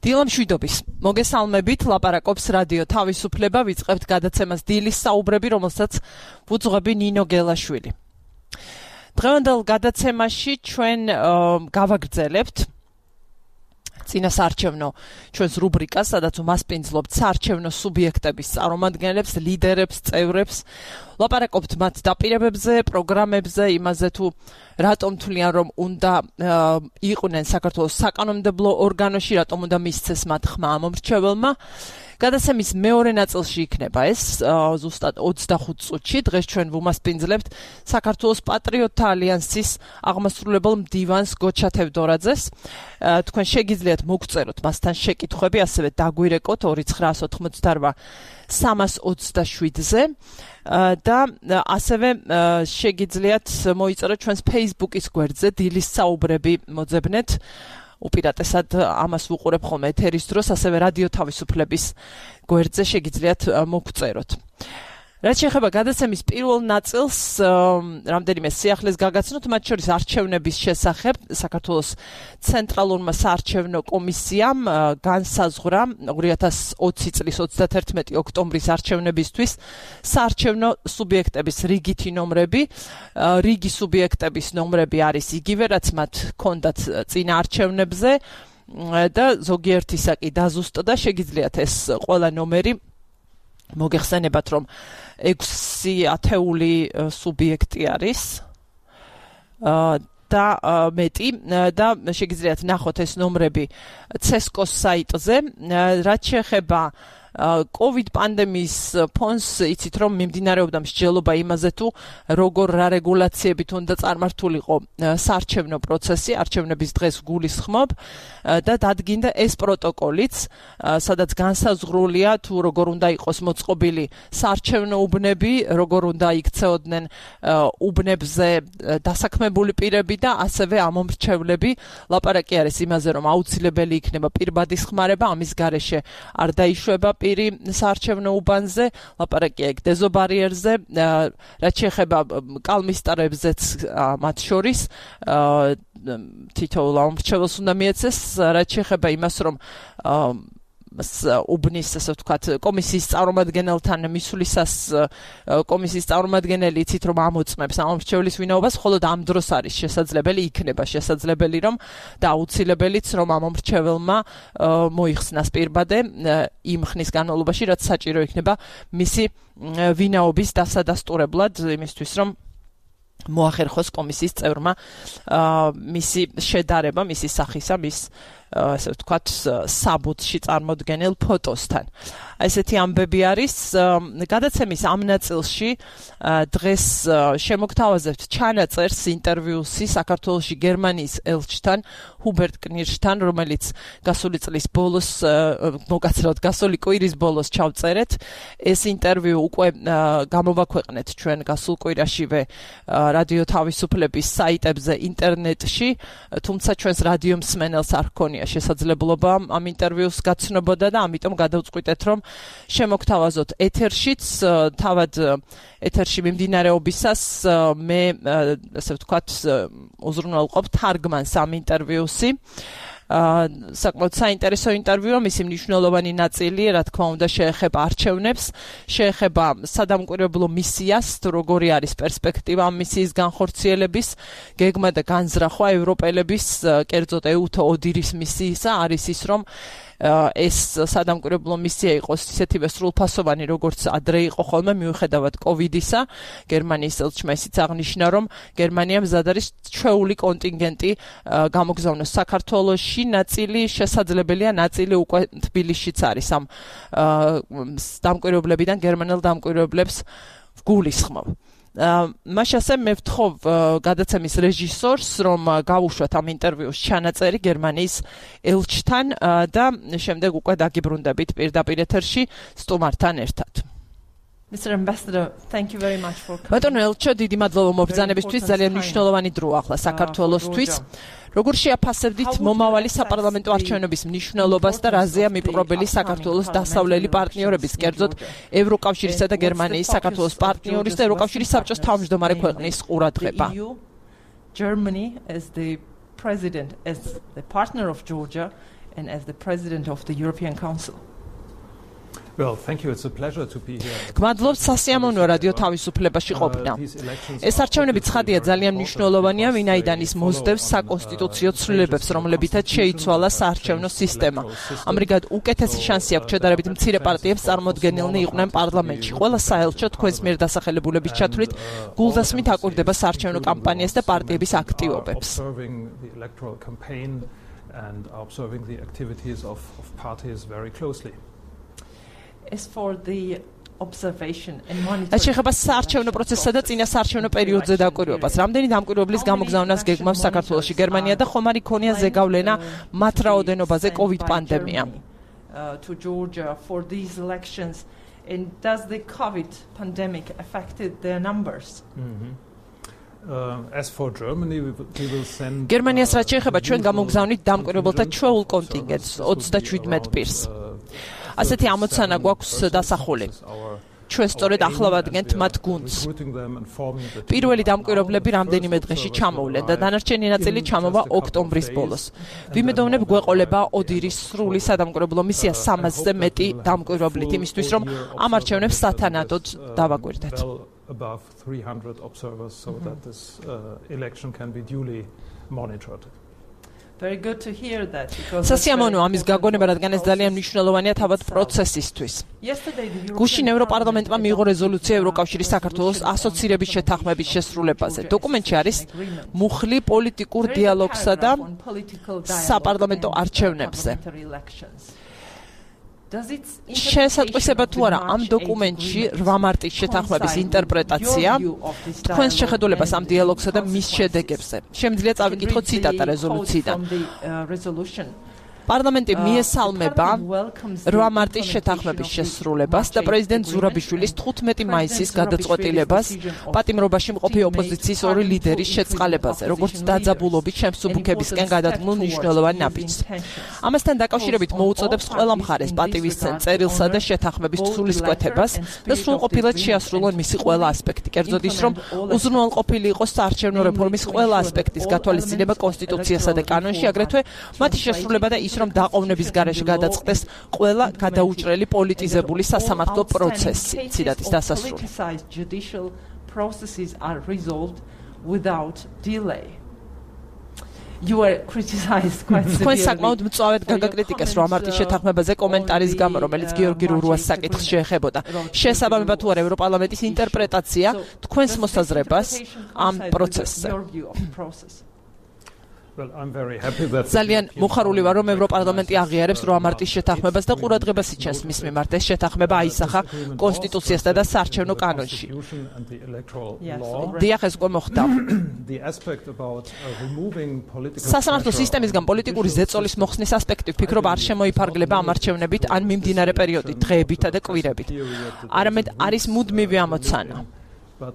დილამშვიდობის. მოგესალმებით, ლაპარაკობს რადიო თავისუფლება, ვიწყებთ გადაცემას დილის საუბრები, რომელსაც ვუძღვები ნინო გელაშვილი. დღევანდელ გადაცემაში ჩვენ გავაგრძელებთ წინა საარჩევნო ჩვენს რუბრიკას, სადაც უმასპინძლობთ საარჩევნო სუბიექტების წარმომადგენლებს, ლიდერებს, წევრებს, ლაპარაკობთ მათ დაპირებებზე, პროგრამებზე, იმაზე თუ რატომ თვლიან, რომ უნდა იყვნენ საქართველოს საკანონმდებლო ორგანოში, რატომ უნდა მისცეს მათ ხმა ამომრჩეველმა. გადაცემის მეორე ნაწილში იქნება ეს ზუსტად 25 წუთში. დღეს ჩვენ ვუმასპინძლებთ საქართველოს პატრიოტთა ალიანსის აღმასრულებელ მდივანს გოჩა თევდორაძეს. თქვენ შეგიძლიათ მოგწეროთ მასთან შეკითხვები, ასევე დაგვირეკოთ 2988 327-ზე და ასევე შეგიძლიათ მოიწეროთ ჩვენს Facebook-ის გვერდზე დილის საუბრები მოძებნეთ. უპირატესად ამას ვუყურებ ხოლმე ეთერის დროს, ასევე რადიო თავისუფლების გვერდზე შეგიძლიათ მოგწეროთ. რაც შეეხება გადაცემის პირველ ნაწილს, რამდენიმე სიახლეს გაგაცნოთ, მათ შორის არჩევნების შესახებ. საქართველოს ცენტრალურმა საარჩევნო კომისიამ განსაზღვრა 2020 წლის 31 ოქტომბრის არჩევნებისთვის საარჩევნო სუბიექტების რიგითი ნომრები. რიგი სუბიექტების ნომრები არის იგივე, რაც მათ ჰქონდათ წინა არჩევნებზე და ზოგიერთისა კი დაზუსტდა. შეგიძლიათ ეს ყველა ნომერი მოგეხსენებათ, რომ 6 ათეული სუბიექტი არის და მეტი და შეგიძლიათ ნახოთ ეს ნომრები CESCO-ს საიტზე. რაც შეეხება COVID პანდემიის ფონს, იცით რომ მიმდინარეობდა მსჯელობა იმაზე თუ როგორ რა რეგულაციებით უნდა წარმართულიყო საარჩევნო პროცესი, არჩევნების დღეს გულისხმობ და დადგინდა ეს პროტოკოლიც, სადაც განსაზღვრულია თუ როგორ უნდა იყოს მოწყობილი საარჩევნო უბნები, როგორ უნდა იქცეოდნენ უბნებზე დასაქმებული პირები და ასევე ამომრჩევლები. ლაპარაკი არის იმაზე, რომ აუცილებელი იქნება პირბადის ხმარება, ამის გარეშე არ დაიშვება პირი საარჩევნო უბანზე, ლაპარაკია იქ დეზობარიერზე, რაც შეეხება კალმისტარებზეც მათ შორის თითოეულ ამომრჩეველს უნდა მიეცეს. რაც შეეხება იმას, რომ უბნის, ასე ვთქვათ, კომისიის წარმომადგენელთან მისვლისას კომისიის წარმომადგენელი იცით რომ ამოწმებს ამომრჩევლის ვინაობას, მხოლოდ ამ დროს არის შესაძლებელი, იქნება შესაძლებელი რომ და აუცილებელიც რომ ამომრჩეველმა მოიხსნას პირბადე იმ ხნის განმავლობაში, რაც საჭირო იქნება მისი ვინაობის დასადასტურებლად, იმისთვის რომ მოახერხოს კომისიის წევრმა მისი შედარება, მისი სახისა, მის ასე ვთქვათ, საბუთში წარმოდგენილ ფოტოსთან. ესეთი ამბები არის. გადაცემის ამ ნაწილში დღეს შემოგთავაზებთ ჩანაწერს ინტერვიუსი საქართველოში გერმანიის ელჩთან, ჰუბერტ კნირშთან, რომელიც გასული წლის ბოლოს, მოგაცროთ, გასული კვირის ბოლოს ჩავწერეთ. ეს ინტერვიუ უკვე გამოვაქვეყნეთ ჩვენ გასულ კვირაშივე რადიო თავისუფლების საიტებზე ინტერნეტში, თუმცა ჩვენს რადიო მსმენელს არ ჰქონია შესაძლებლობა ამ ინტერვიუს გაცნობოდა და ამიტომ გადავწყვიტეთ, რომ შემოგთავაზოთ ეთერშიც. თავად ეთერში მიმდინარეობისას მე, ასე ვთქვათ, უზრუნველყოფ თარგმანს ამ ინტერვიუსი. საკმაოდ საინტერესო ინტერვიუა, მისი მნიშვნელოვანი ნაწილი, რა თქმა უნდა, შეეხება არჩევნებს, შეეხება სადამკვირვებლო მისიას, თუ როგორი არის პერსპექტივა ამ მისიის განხორციელების, გეგმა და განზრახვა ევროპელების, კერძოდ EUTO ODIHR-ის მისიისა არის ის, რომ ეს სადამკვირვებლო მისია იყოს ისეთივე სრულფასოვანი, როგორც ადრე იყო ხოლმე, მიუხედავად COVID-ისა. გერმანიის ელჩმა ისიც აღნიშნა, რომ გერმანია მზად არის ჩვეული კონტინგენტი გამოგზავნოს საქართველოში, ნაწილი შესაძლებელია, ნაწილი უკვე თბილისშიც არის ამ დამკვირვებლებიდან გერმანელ დამკვირვებლებს გულისხმობ. მაშასე მე ვთხოვ გადაცემის რეჟისორს, რომ გავუშვათ ამ ინტერვიუს ჩანაწერი გერმანიის ელჩთან და შემდეგ უკვე დაგიბრუნდებით პირდაპირ ეთერში სტუმართან ერთად. Mr. Ambassador, thank you very much for coming. ბატონო ელჩო, დიდი მადლობა მობრძანებისთვის, ძალიან მნიშვნელოვანი დროა ახლა საქართველოსთვის. როგორ შეაფასებდით მომავალი საპარლამენტო არჩევნების მნიშვნელობას და რაზეა მიპყრობელი საქართველოს დასავლელი პარტნიორების, კერძოდ ევროკავშირისა და გერმანიის საქართველოს პარტნიორის და ევროკავშირის საბჭოს თავმჯდომარე ქვეყნის ყურადღება? Germany as the president, as the partner of Georgia, and as the President of the European Council. Well, thank you. It's a pleasure to be here. გმადლობთ სასიამოვნოა რადიო თავისუფლებაში ყოფნა. ეს არჩევნები ცხადია ძალიან მნიშვნელოვანია, ვინაიდან ის მოსდევს საკონსტიტუციო ცვლილებებს, რომლებითაც შეიცვალა საარჩევნო სისტემა. ამრიგად უკეთესი შანსი აქვს შედარებით მცირე პარტიებს წარმოდგენილნი იყვნენ პარლამენტში. ყველა საელჩო თქვენს მიერ დასახელებულების ჩათვლით გულდასმით აკვირდება საარჩევნო კამპანიას და პარტიების აქტივობებს. And observing the activities of parties very closely. As for the observation and monitoring. შეხება საარჩევნო პროცესსა და წინა საარჩევნო პერიოდზე დაკვირვებას. რამდენი დამკვირვებლის გამოგზავნას გეგმავს საქართველოში, გერმანია და ხომ არ იქონია ზეგავლენა მათ რაოდენობაზე COVID პანდემია. To Georgia for these elections and does the COVID pandemic affected their numbers? As for Germany, we will send გერმანიას რაც შეეხება ჩვენ გამოგზავნით დამკვირვებელთა ჩვეულ კონტინგენტს 37 პირს. ასეთი ამოცანა გვაქვს დასახული. ჩვენ სწორედ ახლა ვადგენთ მათ გუნდს. პირველი დამკვირვებლები რამდენიმე დღეში ჩამოვლენ და დანარჩენი ნაწილი ჩამოვა ოქტომბრის ბოლოს. ვიმედოვნებ გვეყოლება ოდირის სრული სადამკვირვებლო მისია 300-ზე მეტი დამკვირვებლით იმისთვის რომ ამ არჩევნებს სათანადოდ დავაკვირდეთ. Above 300 observers so that this election can be duly monitored. Very good to hear that because სასიამოვნოა ამის გაგონება, რადგან ეს ძალიან მნიშვნელოვანია თავად პროცესისთვის. გუშინ ევროპარლამენტმა მიიღო რეზოლუცია ევროკავშირის საქართველოს ასოცირების შეთანხმების შესრულებაზე. დოკუმენტში არის მუხლი პოლიტიკურ დიალოგსა და საპარლამენტო არჩევნებზე. შესატყვისება თუ არა ამ დოკუმენტში 8 მარტის შეთანხმების ინტერპრეტაცია თქვენს შეხედულებას ამ დიალოგსა და მის შედეგებზე. შემიძლია წავიკითხო ციტატა რეზოლუციიდან. პარლამენტი მიესალმება 8 მარტის შეთანხმების შესრულებას და პრეზიდენტ ზურაბიშვილის 15 მაისის გადაწყვეტილებას პატიმრობაში მყოფი ოპოზიციის ორი ლიდერის შეწყალებაზე, როგორც დაძაბულობით შემსუბუქებისკენ გადადგმულ მნიშვნელოვან ნაბიჯს. ამასთან დაკავშირებით მოუწოდებს ყველა მხარეს პატივისცემ წერილსა და შეთანხმების სულისკვეთებას და სრულყოფილად შეასრულონ მისი ყველა ასპექტი. კერძოდ ის, რომ უზრუნველყოფილი იყოს საარჩევნო რეფორმის ყველა ასპექტის გათვალისწინება კონსტიტუციასა და კანონში, აგრეთვე მათი შესრულება და ის, რომ დაყოვნების გარეშე გადაწყდეს ყველა გადაუჭრელი პოლიტიზებული სასამართლო პროცესი. ციტატის დასასრული. You were criticized quite severely. თქვენ საკმაოდ მწვავედ გაგაკრიტიკეს 8 მარტის შეთანხმებაზე კომენტარის გამო, რომელიც გიორგი რურუას საკითხს შეეხებოდა. შესაბამება თუ არა ევროპარლამენტის ინტერპრეტაცია თქვენს მოსაზრებას ამ პროცესზე. Well, I'm very happy that ძალიან მოხარული ვარ, რომ ევროპარლამენტი აღიარებს 8 მარტის შეთანხმებას და ყურადღებას იჩენს მის მიმართ. ეს შეთანხმება აისახა კონსტიტუციასა და საარჩევნო კანონში. დიახ, ეს უკვე მოხდა. სასამართლო სისტემისგან პოლიტიკური ზეწოლის მოხსნის ასპექტი ვფიქრობ არ შემოიფარგლება ამ არჩევნებით ან მიმდინარე პერიოდით, დღეებითა და კვირებით. არამედ არის მუდმივი ამოცანა. But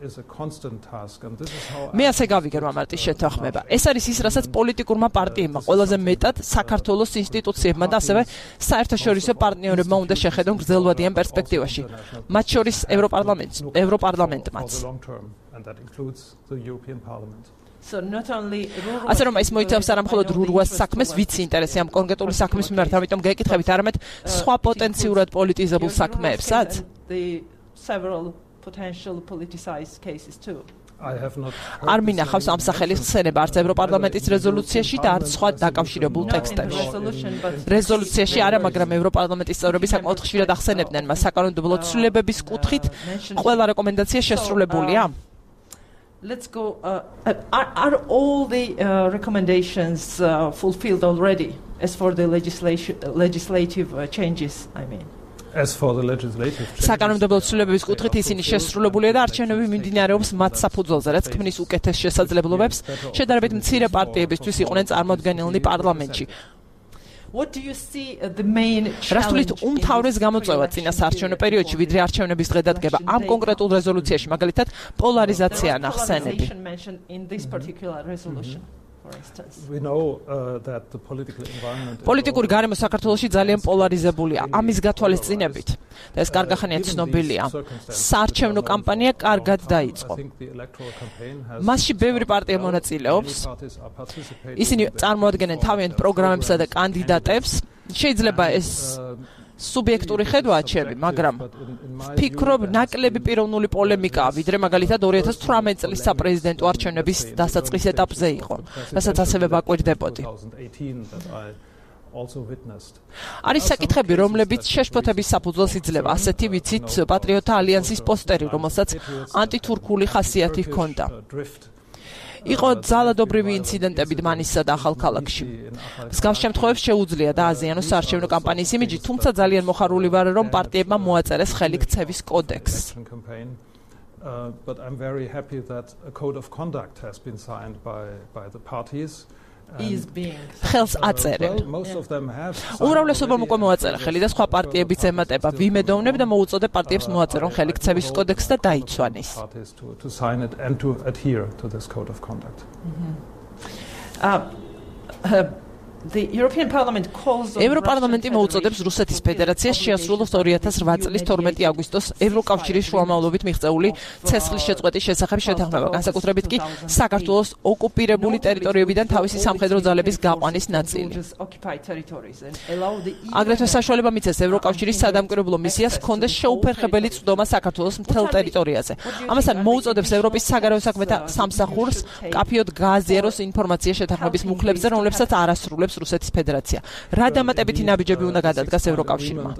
is a constant task and this is how მე ასე გავიგე 8 მარტის შეთანხმება. ეს არის ის, რასაც პოლიტიკურმა პარტიებმა ყველაზე მეტად საქართველოს ინსტიტუციებმა და ასევე საერთაშორისო პარტნიორებმა უნდა შეხედონ გრძელვადიან პერსპექტივაში. მათ შორის ევროპარლამენტმაც. ასე რომ ის მოიცავს არა მხოლოდ რურუას საქმეს, ვიცი ინტერესი ამ კონკრეტული საქმის მიმართ, ამიტომ გეკითხებით, არამედ სხვა პოტენციურად პოლიტიზებულ საქმეებსაც. Potential politicized cases too. არ მინახავს ამ სახელის ხსენება არც ევროპარლამენტის რეზოლუციაში და არც სხვა დაკავშირებულ ტექსტებში. რეზოლუციაში არა, მაგრამ ევროპარლამენტის წევრები საკმაოდ ხშირად ახსენებდნენ მას საკანონმდებლო ცვლილებების კუთხით ყველა რეკომენდაცია შესრულებულია. Let's go are all the recommendations fulfilled already as for the legislative changes, I mean. As for the legislative საკანონმდებლო ცვლილებების კუთხით ისინი შესრულებულია და არჩევნები მიმდინარეობს მათ საფუძველზე, რაც ქმნის უკეთეს შესაძლებლობებს შედარებით მცირე პარტიებისთვის იყვნენ წარმოდგენილნი პარლამენტში. What do you see the main challenge? რასთulit უმთავრეს გამოწვევა წინა საარჩევნო პერიოდში, ვიდრე არჩევნების დღედადგება ამ კონკრეტულ რეზოლუციაში, მაგალითად, პოლარიზაცია ნახსენები. We know that the political environment პოლიტიკური გარემო საქართველოში ძალიან პოლარიზებულია. ამის გათვალისწინებით და ეს კარგახანია ცნობილია. საარჩევნო კამპანია კარგად დაიწყო. მასში ბევრი პარტია მონაწილეობს. ისინი წარმოადგენენ თავიანთ პროგრამებსა და კანდიდატებს. შეიძლება ეს სუბიექტური ხედვაა ჩემი, მაგრამ ვფიქრობ, ნაკლები პიროვნული პოლემიკაა, ვიდრე მაგალითად 2018 წლის საპრეზიდენტო არჩევნების დასაწყის ეტაპზე იყო, რასაც ასევე ვაკვირდებოდი. არის საკითხები, რომლებიც შეშფოთების საფუძველს იძლევა, ასეთი ვიცით პატრიოტთა ალიანსის პოსტერი, რომელსაც ანტითურქული ხასიათი ჰქონდა. იყო ძალადობრივი ინციდენტები დმანისსა და ახალქალაქში. მსგავს შემთხვევებს შეუძლია დააზიანოს საარჩევნო კამპანიის იმიჯი, თუმცა ძალიან მოხარული ვარ, რომ პარტიებმა მოაწერეს ხელი ქცევის კოდექსს. But I'm very happy that a code of conduct has been signed by the parties. ხელს აწერენ. უმრავლესობამ უკვე მოაწერა ხელი და სხვა პარტიებიც ემატება. ვიმედოვნებ და მოუწოდებ პარტიებს მოაწერონ ხელი ქცევის კოდექსს და დაიცვან ის. ევროპარლამენტი მოუწოდებს რუსეთის ფედერაციას შეასრულოს 2008 წლის 12 აგვისტოს ევროკავშირის შუამავლობით მიღწეული ცეცხლის შეწყვეტის შესახებ შეთანხმება, განსაკუთრებით კი საქართველოს ოკუპირებული ტერიტორიებიდან თავისი სამხედრო ძალების გაყვანის ნაწილი. აგრეთვე საშუალება მიცეს ევროკავშირის სადამკვირვებლო მისიას ჰქონდეს შეუფერხებელი წვდომა საქართველოს მთელ ტერიტორიაზე. ამასთან მოუწოდებს ევროპის საგარეო საქმეთა სამსახურს მკაფიოდ გააზიაროს ინფორმაცია შეთანხმების მუხლებზე, რომლებსაც არ ასრულებს რუსეთის ფედერაცია. რა დამატებითი ნაბიჯები უნდა გადადგას ევროკავშირმა?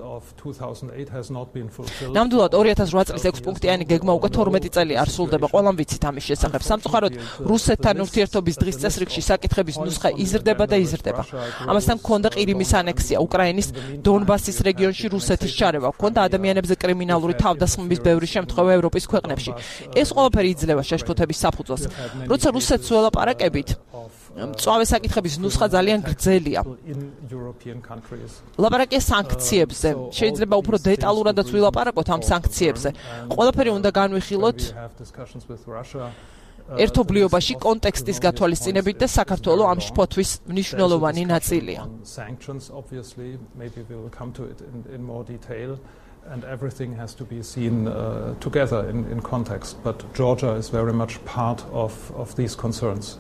ნამდვილად 2008 წლის 6 პუნქტიანი გეგმა უკვე 12 წელი არ სრულდება. ყველამ ვიცით ამის შესახებ. სამწუხაროდ რუსეთთან ურთიერთობის დღის წესრიგში საკითხების ნუსხა იზრდება და იზრდება. ამასთან ჰქონდა ყირიმის ანექსია, უკრაინის დონბასის რეგიონში რუსეთის ჩარევა, ჰქონდა ადამიანებზე კრიმინალური თავდასხმების ბევრი შემთხვევა ევროპის ქვეყნებში. ეს ყველაფერი იძლევა შეშფოთების საფუძველს. როცა რუსეთს ველაპარაკებით, მწვავე საკითხების ნუსხა ძალიან გრძელია. ლაპარაკია სანქციებზე. შეიძლება უფრო დეტალურადაც ვილაპარაკოთ ამ სანქციებზე. ყველაფერი უნდა განვიხილოთ ერთობლიობაში კონტექსტის გათვალისწინებით და საქართველოს ამ შფოთვის მნიშვნელოვანი ნაწილია. And everything has to be seen together in context. But Georgia is very much part of these concerns.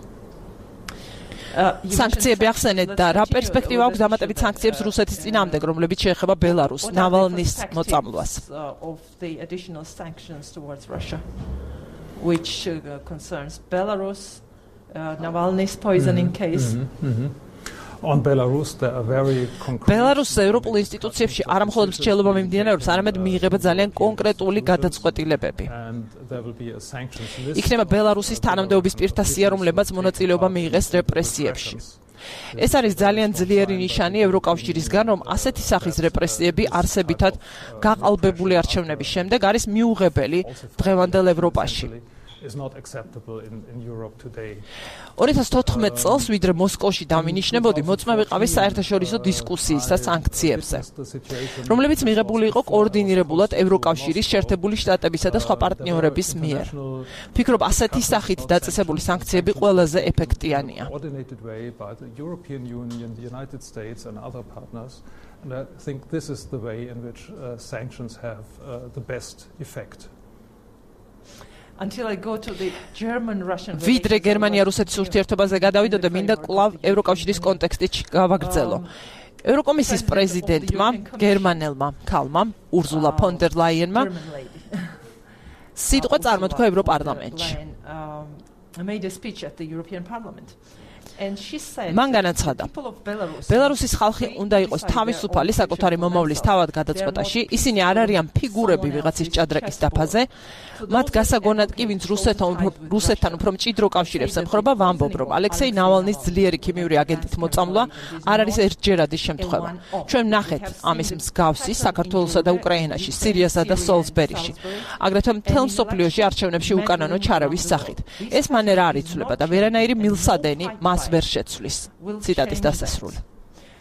სანქციები ახსენეთ და რა პერსპექტივა აქვს დამატებით სანქციებს რუსეთის წინააღმდეგ, რომლებიც შეეხება ბელარუსს, ნავალნის მოწამვლას. Which concerns Belarus, Navalny's poisoning case. On Belarus there are very concrete Belarus ევროპულ ინსტიტუციებში არა მხოლოდ მრჩევლობა მიმდინარეობს, არამედ მიიღება ძალიან კონკრეტული გადაწყვეტილებები. იქნება ბელარუსის თანამდებობის პირთა სია, რომლებმაც მონაწილეობა მიიღეს რეპრესიებში. ეს არის ძალიან ძლიერი ნიშანი ევროკავშირისგან, რომ ასეთი სახის რეპრესიები არსებითად გაყალბებული არჩევნების შემდეგ არის მიუღებელი დღევანდელ ევროპაში. is not acceptable in Europe today. 2014 წელს ვიდრე მოსკოვში დავინიშნებოდი, მოწმე ვიყავი საერთაშორისო დისკუსიის და სანქციებზე, რომლებიც მიღებული იყო კოორდინირებულად ევროკავშირის, შეერთებული შტატებისა და სხვა პარტნიორების მიერ. ვფიქრობ, ასეთი სახით დაწესებული სანქციები ყველაზე ეფექტიანია. And I think this is the way in which sanctions have the best effect. Until I go to the German-Russian ვიდრე გერმანია-რუსეთის ურთიერთობაზე გადავიდოდე, მინდა კვლავ ევროკავშირის კონტექსტში გავაგრძელო. ევროკომისიის პრეზიდენტმა, გერმანელმა ქალმა, ურზულა ფონ დერ ლაიენმა სიტყვა წარმოთქვა ევროპარლამენტში. made a speech at the European Parliament. მან განაცხადა, ბელარუსის ხალხი უნდა იყოს თავისუფალი საკუთარი მომავლის თავად გადაწყვეტაში, ისინი არ არიან ფიგურები ვიღაცის ჭადრაკის დაფაზე, მათ გასაგონად კი ვინც რუსეთთან უფრო მჭიდრო კავშირებს ემხრობა, ვამბობ, რომ ალექსეი ნავალნის ძლიერი ქიმიური აგენტით მოწამვლა არ არის ერთჯერადი შემთხვევა. ჩვენ ვნახეთ ამის მსგავსი საქართველოსა და უკრაინაში, სირიასა და სოლსბერიში, აგრეთვე მთელ მსოფლიოში არჩევნებში უკანონო ჩარევის სახით. ეს მანერა არ იცვლება და ვერანაირი მილსადენი მას ვერ შეცვლის. ციტატის დასასრული.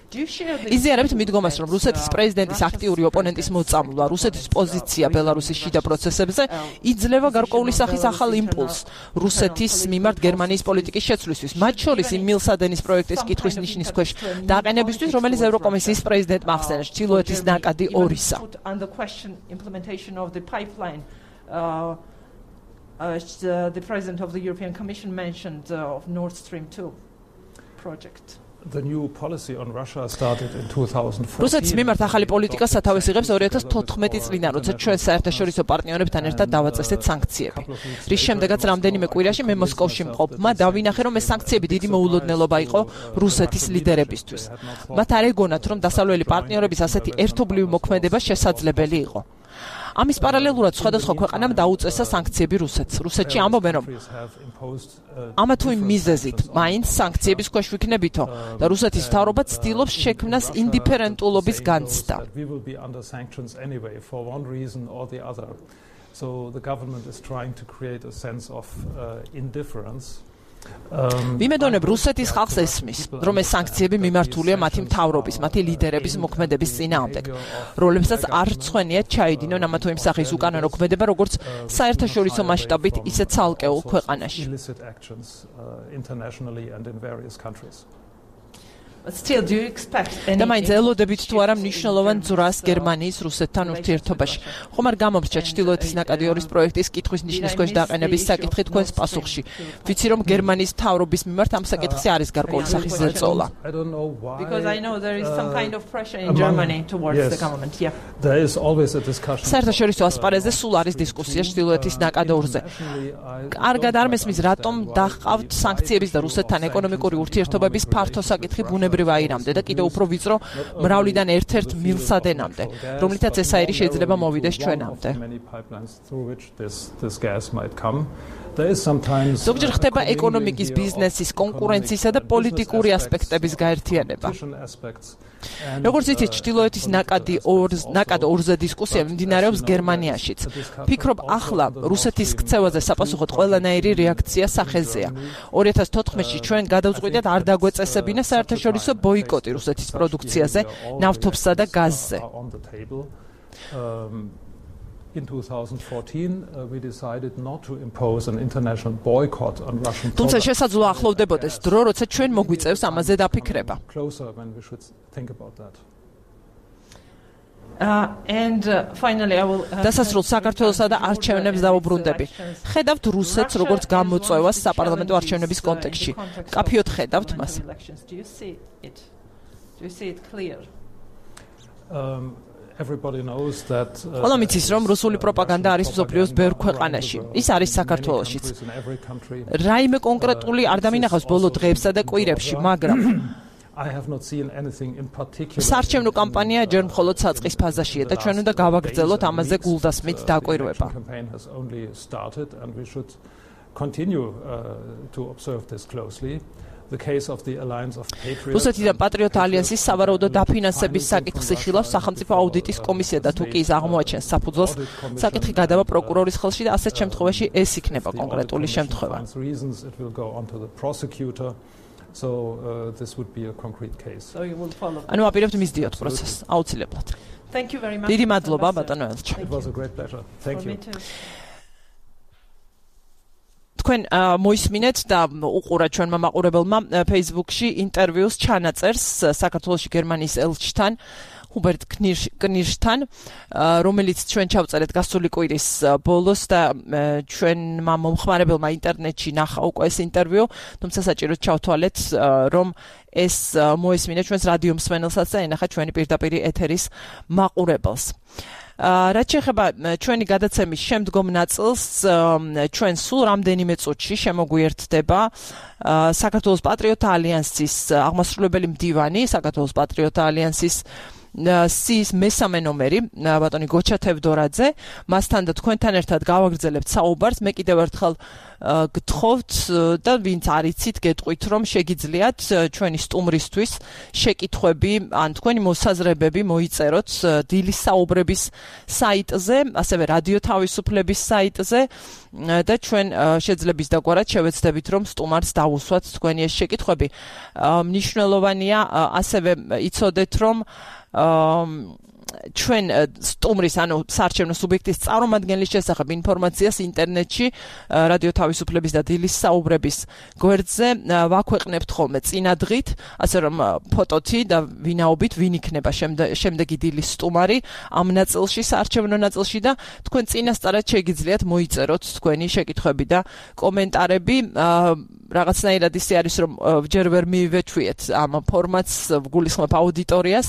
იზიარებთ მიდგომას, რომ რუსეთის პრეზიდენტის აქტიური ოპონენტის მოწამვლა, რუსეთის პოზიცია ბელარუსის შიდა პროცესებზე იძლევა გარკვეული სახის ახალ იმპულსს რუსეთის მიმართ გერმანიის პოლიტიკის შეცვლისთვის, მათ შორის იმ მილსადენის პროექტის კითხვის ნიშნის ქვეშ დაყენებისთვის, რომელიც ევროკომისიის პრეზიდენტმა ახსენეს ჩრდილოეთის ნაკადი 2-ისა. The President of the European Commission mentioned of Nord Stream 2 project. The new policy on Russia started in 2014. რუსეთის მიმართ ახალი პოლიტიკა სათავეს იღებს 2014 წლიდან, როცა ჩვენ საერთაშორისო პარტნიორებთან ერთად დავაწესეთ სანქციები. რის შემდეგაც რამდენიმე კვირაში მე მოსკოვში მყოფმა დავინახე, რომ ეს სანქციები დიდი მოულოდნელობა იყო რუსეთის ლიდერებისთვის. მათ არ ეგონათ, რომ დასავლელი პარტნიორების ასეთი ერთობლივი მოქმედება შესაძლებელი იყო. ამის პარალელურად სხვადასხვა ქვეყანამ დაუწესა სანქციები რუსეთს. რუსეთში ამბობენ, რომ ამა თუ იმ მიზეზით მაინც სანქციების ქვეშ ვიქნებითო და რუსეთის მთავრობა ცდილობს შექმნას ინდიფერენტულობის განცდა. So the government is trying to create a sense of indifference. ვიმედონებ რუსეთის ხალხს ესმის, რომ ეს სანქციები მიმართულია მათი მთავრობის, მათი ლიდერების მოქმედების წინააღმდეგ, რომლებსაც არ რცხვენიათ ჩაიდინონ ამა თუ იმ სახის უკანონო ქმედება, როგორც საერთაშორისო მასშტაბით, ისე ცალკეულ ქვეყანაში. და მაინც ელოდებით თუ არა მნიშვნელოვან ძრას გერმანიის რუსეთთან ურთიერთობაში. ხომ არ გამომრჩა ჩრდილოეთის ნაკადი 2-ის პროექტის კითხვის ნიშნის ქვეშ დაყენების საკითხი თქვენს პასუხში. ვიცი რომ გერმანიის მთავრობის მიმართ ამ საკითხზე არის გარკვეული სახის ზეწოლა. Because I know there is some kind of pressure in Germany towards the government. Yeah. There is always a discussion. საერთაშორისო ასპარეზზე სულ არის დისკუსია ჩრდილოეთის ნაკად 2-ზე. კარგად არ მესმის რატომ დაჰყავთ სანქციების და რუსეთთან ეკონომიკური ურთიერთობების ფართო საკითხი ბუნებრივ აირამდე და კიდევ უფრო ვიწრო მრავლიდან ერთ-ერთ მილსადენამდე, რომლითაც ეს აირი შეიძლება მოვიდეს ჩვენამდე. ზოგჯერ ხდება ეკონომიკის, ბიზნესის, კონკურენციისა და პოლიტიკური ასპექტების გაერთიანება. როგორც იცით, ჩრდილოეთის ნაკად 2-ზე დისკუსია მიმდინარეობს გერმანიაშიც. ფიქრობ, ახლა რუსეთის ქცევაზე საპასუხოდ ყველანაირი რეაქცია სახეზეა. 2014-ში ჩვენ გადავწყვიტეთ არ დაგვეწესებინა საერთაშორისო ბოიკოტი რუსეთის პროდუქციაზე, ნავთობსა და გაზზე. In 2014, we decided not to impose an international boycott on Russian products. თუმცა შესაძლოა ახლოვდებოდეს დრო, როცა ჩვენ მოგვიწევს ამაზე დაფიქრება. Closer when we should think about that. And finally I will დასასრულს საქართველოსა და არჩევნებს დავუბრუნდები. ხედავთ რუსეთს როგორც გამოწვევას საპარლამენტო არჩევნების კონტექსტში. კაფიოდ ხედავთ მას. Do you see it clear? Everybody knows that ყველამ იცის, რომ რუსული პროპაგანდა არის მსოფლიოს ბევრ ქვეყანაში. ის არის საქართველოშიც. რაიმე კონკრეტული არ დამინახავს ბოლო დღეებსა და კვირებში, მაგრამ I have not seen anything in particular. საარჩევნო კამპანია ჯერ მხოლოდ საწყის ფაზაშია და ჩვენ უნდა გავაგრძელოთ ამაზე გულდასმით დაკვირვება. Campaign has only started and we should continue to observe this closely. The case of the Alliance of Patriots. რუსეთიდან პატრიოტ ალიანსის სავარაუდო დაფინანსების საკითხს იხილავს სახელმწიფო აუდიტის კომისია და თუ კი ის აღმოაჩენს საფუძველს, საკითხი გადავა პროკურორის ხელში და ასეთ შემთხვევაში ეს იქნება კონკრეტული შემთხვევა. So this would be a concrete case. So you will follow. ანუ აპირებთ მისდიოთ პროცესს აუცილებლად. Thank you very much. დიდი მადლობა ბატონო ელჩა. It was a great pleasure. Thank you. თქვენ მოისმინეთ და უყურეთ ჩვენმა მაყურებელმა Facebook-ში ინტერვიუს ჩანაწერს საქართველოში გერმანიის ელჩთან ჰუბერტ კნირშთან, რომელიც ჩვენ ჩავწერეთ გასული კვირის ბოლოს და ჩვენმა მომხმარებელმა ინტერნეტში ნახა უკვე ეს ინტერვიუ, თუმცა საჭიროდ ჩავთვალეთ, რომ ეს მოისმინეთ ჩვენს რადიო მსმენელსაც და ენახა ჩვენი პირდაპირი ეთერის მაყურებელს. რაც შეეხება ჩვენი გადაცემის შემდგომ ნაწილს, ჩვენ სულ რამდენიმე წუთში შემოგვიერთდება საქართველოს პატრიოტთა ალიანსის აღმასრულებელი მდივანი, საქართველოს პატრიოტთა ალიანსის სიის მესამე ნომერი, ბატონი გოჩა თევდორაძე, მასთან და თქვენთან ერთად გავაგრძელებთ საუბარს. მე კიდევ ერთხელ გთხოვთ და ვინც არიცით გეტყვით რომ შეგიძლიათ ჩვენი სტუმრისთვის შეკითხვები ან თქვენი მოსაზრებები მოიწეროთ დილის საუბრების საიტზე, ასევე რადიო თავისუფლების საიტზე და ჩვენ შეძლების დაგვარად შევეცდებით რომ სტუმარს დავუსვათ თქვენი ეს შეკითხვები. მნიშვნელოვანია ასევე იცოდეთ რომ ჩვენ სტუმრის ანუ საარჩევნო სუბიექტის წარმომადგენლის შესახებ ინფორმაციას ინტერნეტში რადიო თავისუფლების და დილის საუბრების გვერდზე ვაქვეყნებთ ხოლმე წინადღით, ასე რომ ფოტოთი და ვინაობით ვინ იქნება შემდეგი დილის სტუმარი ამ ნაწილში, საარჩევნო ნაწილში და თქვენ წინასწარად შეგიძლიათ მოიწეროთ თქვენი შეკითხვები და კომენტარები. რაღაცნაირად ისე არის რომ ჯერ ვერ მივეჩვიეთ ამ ფორმატს გულისხმობ აუდიტორიას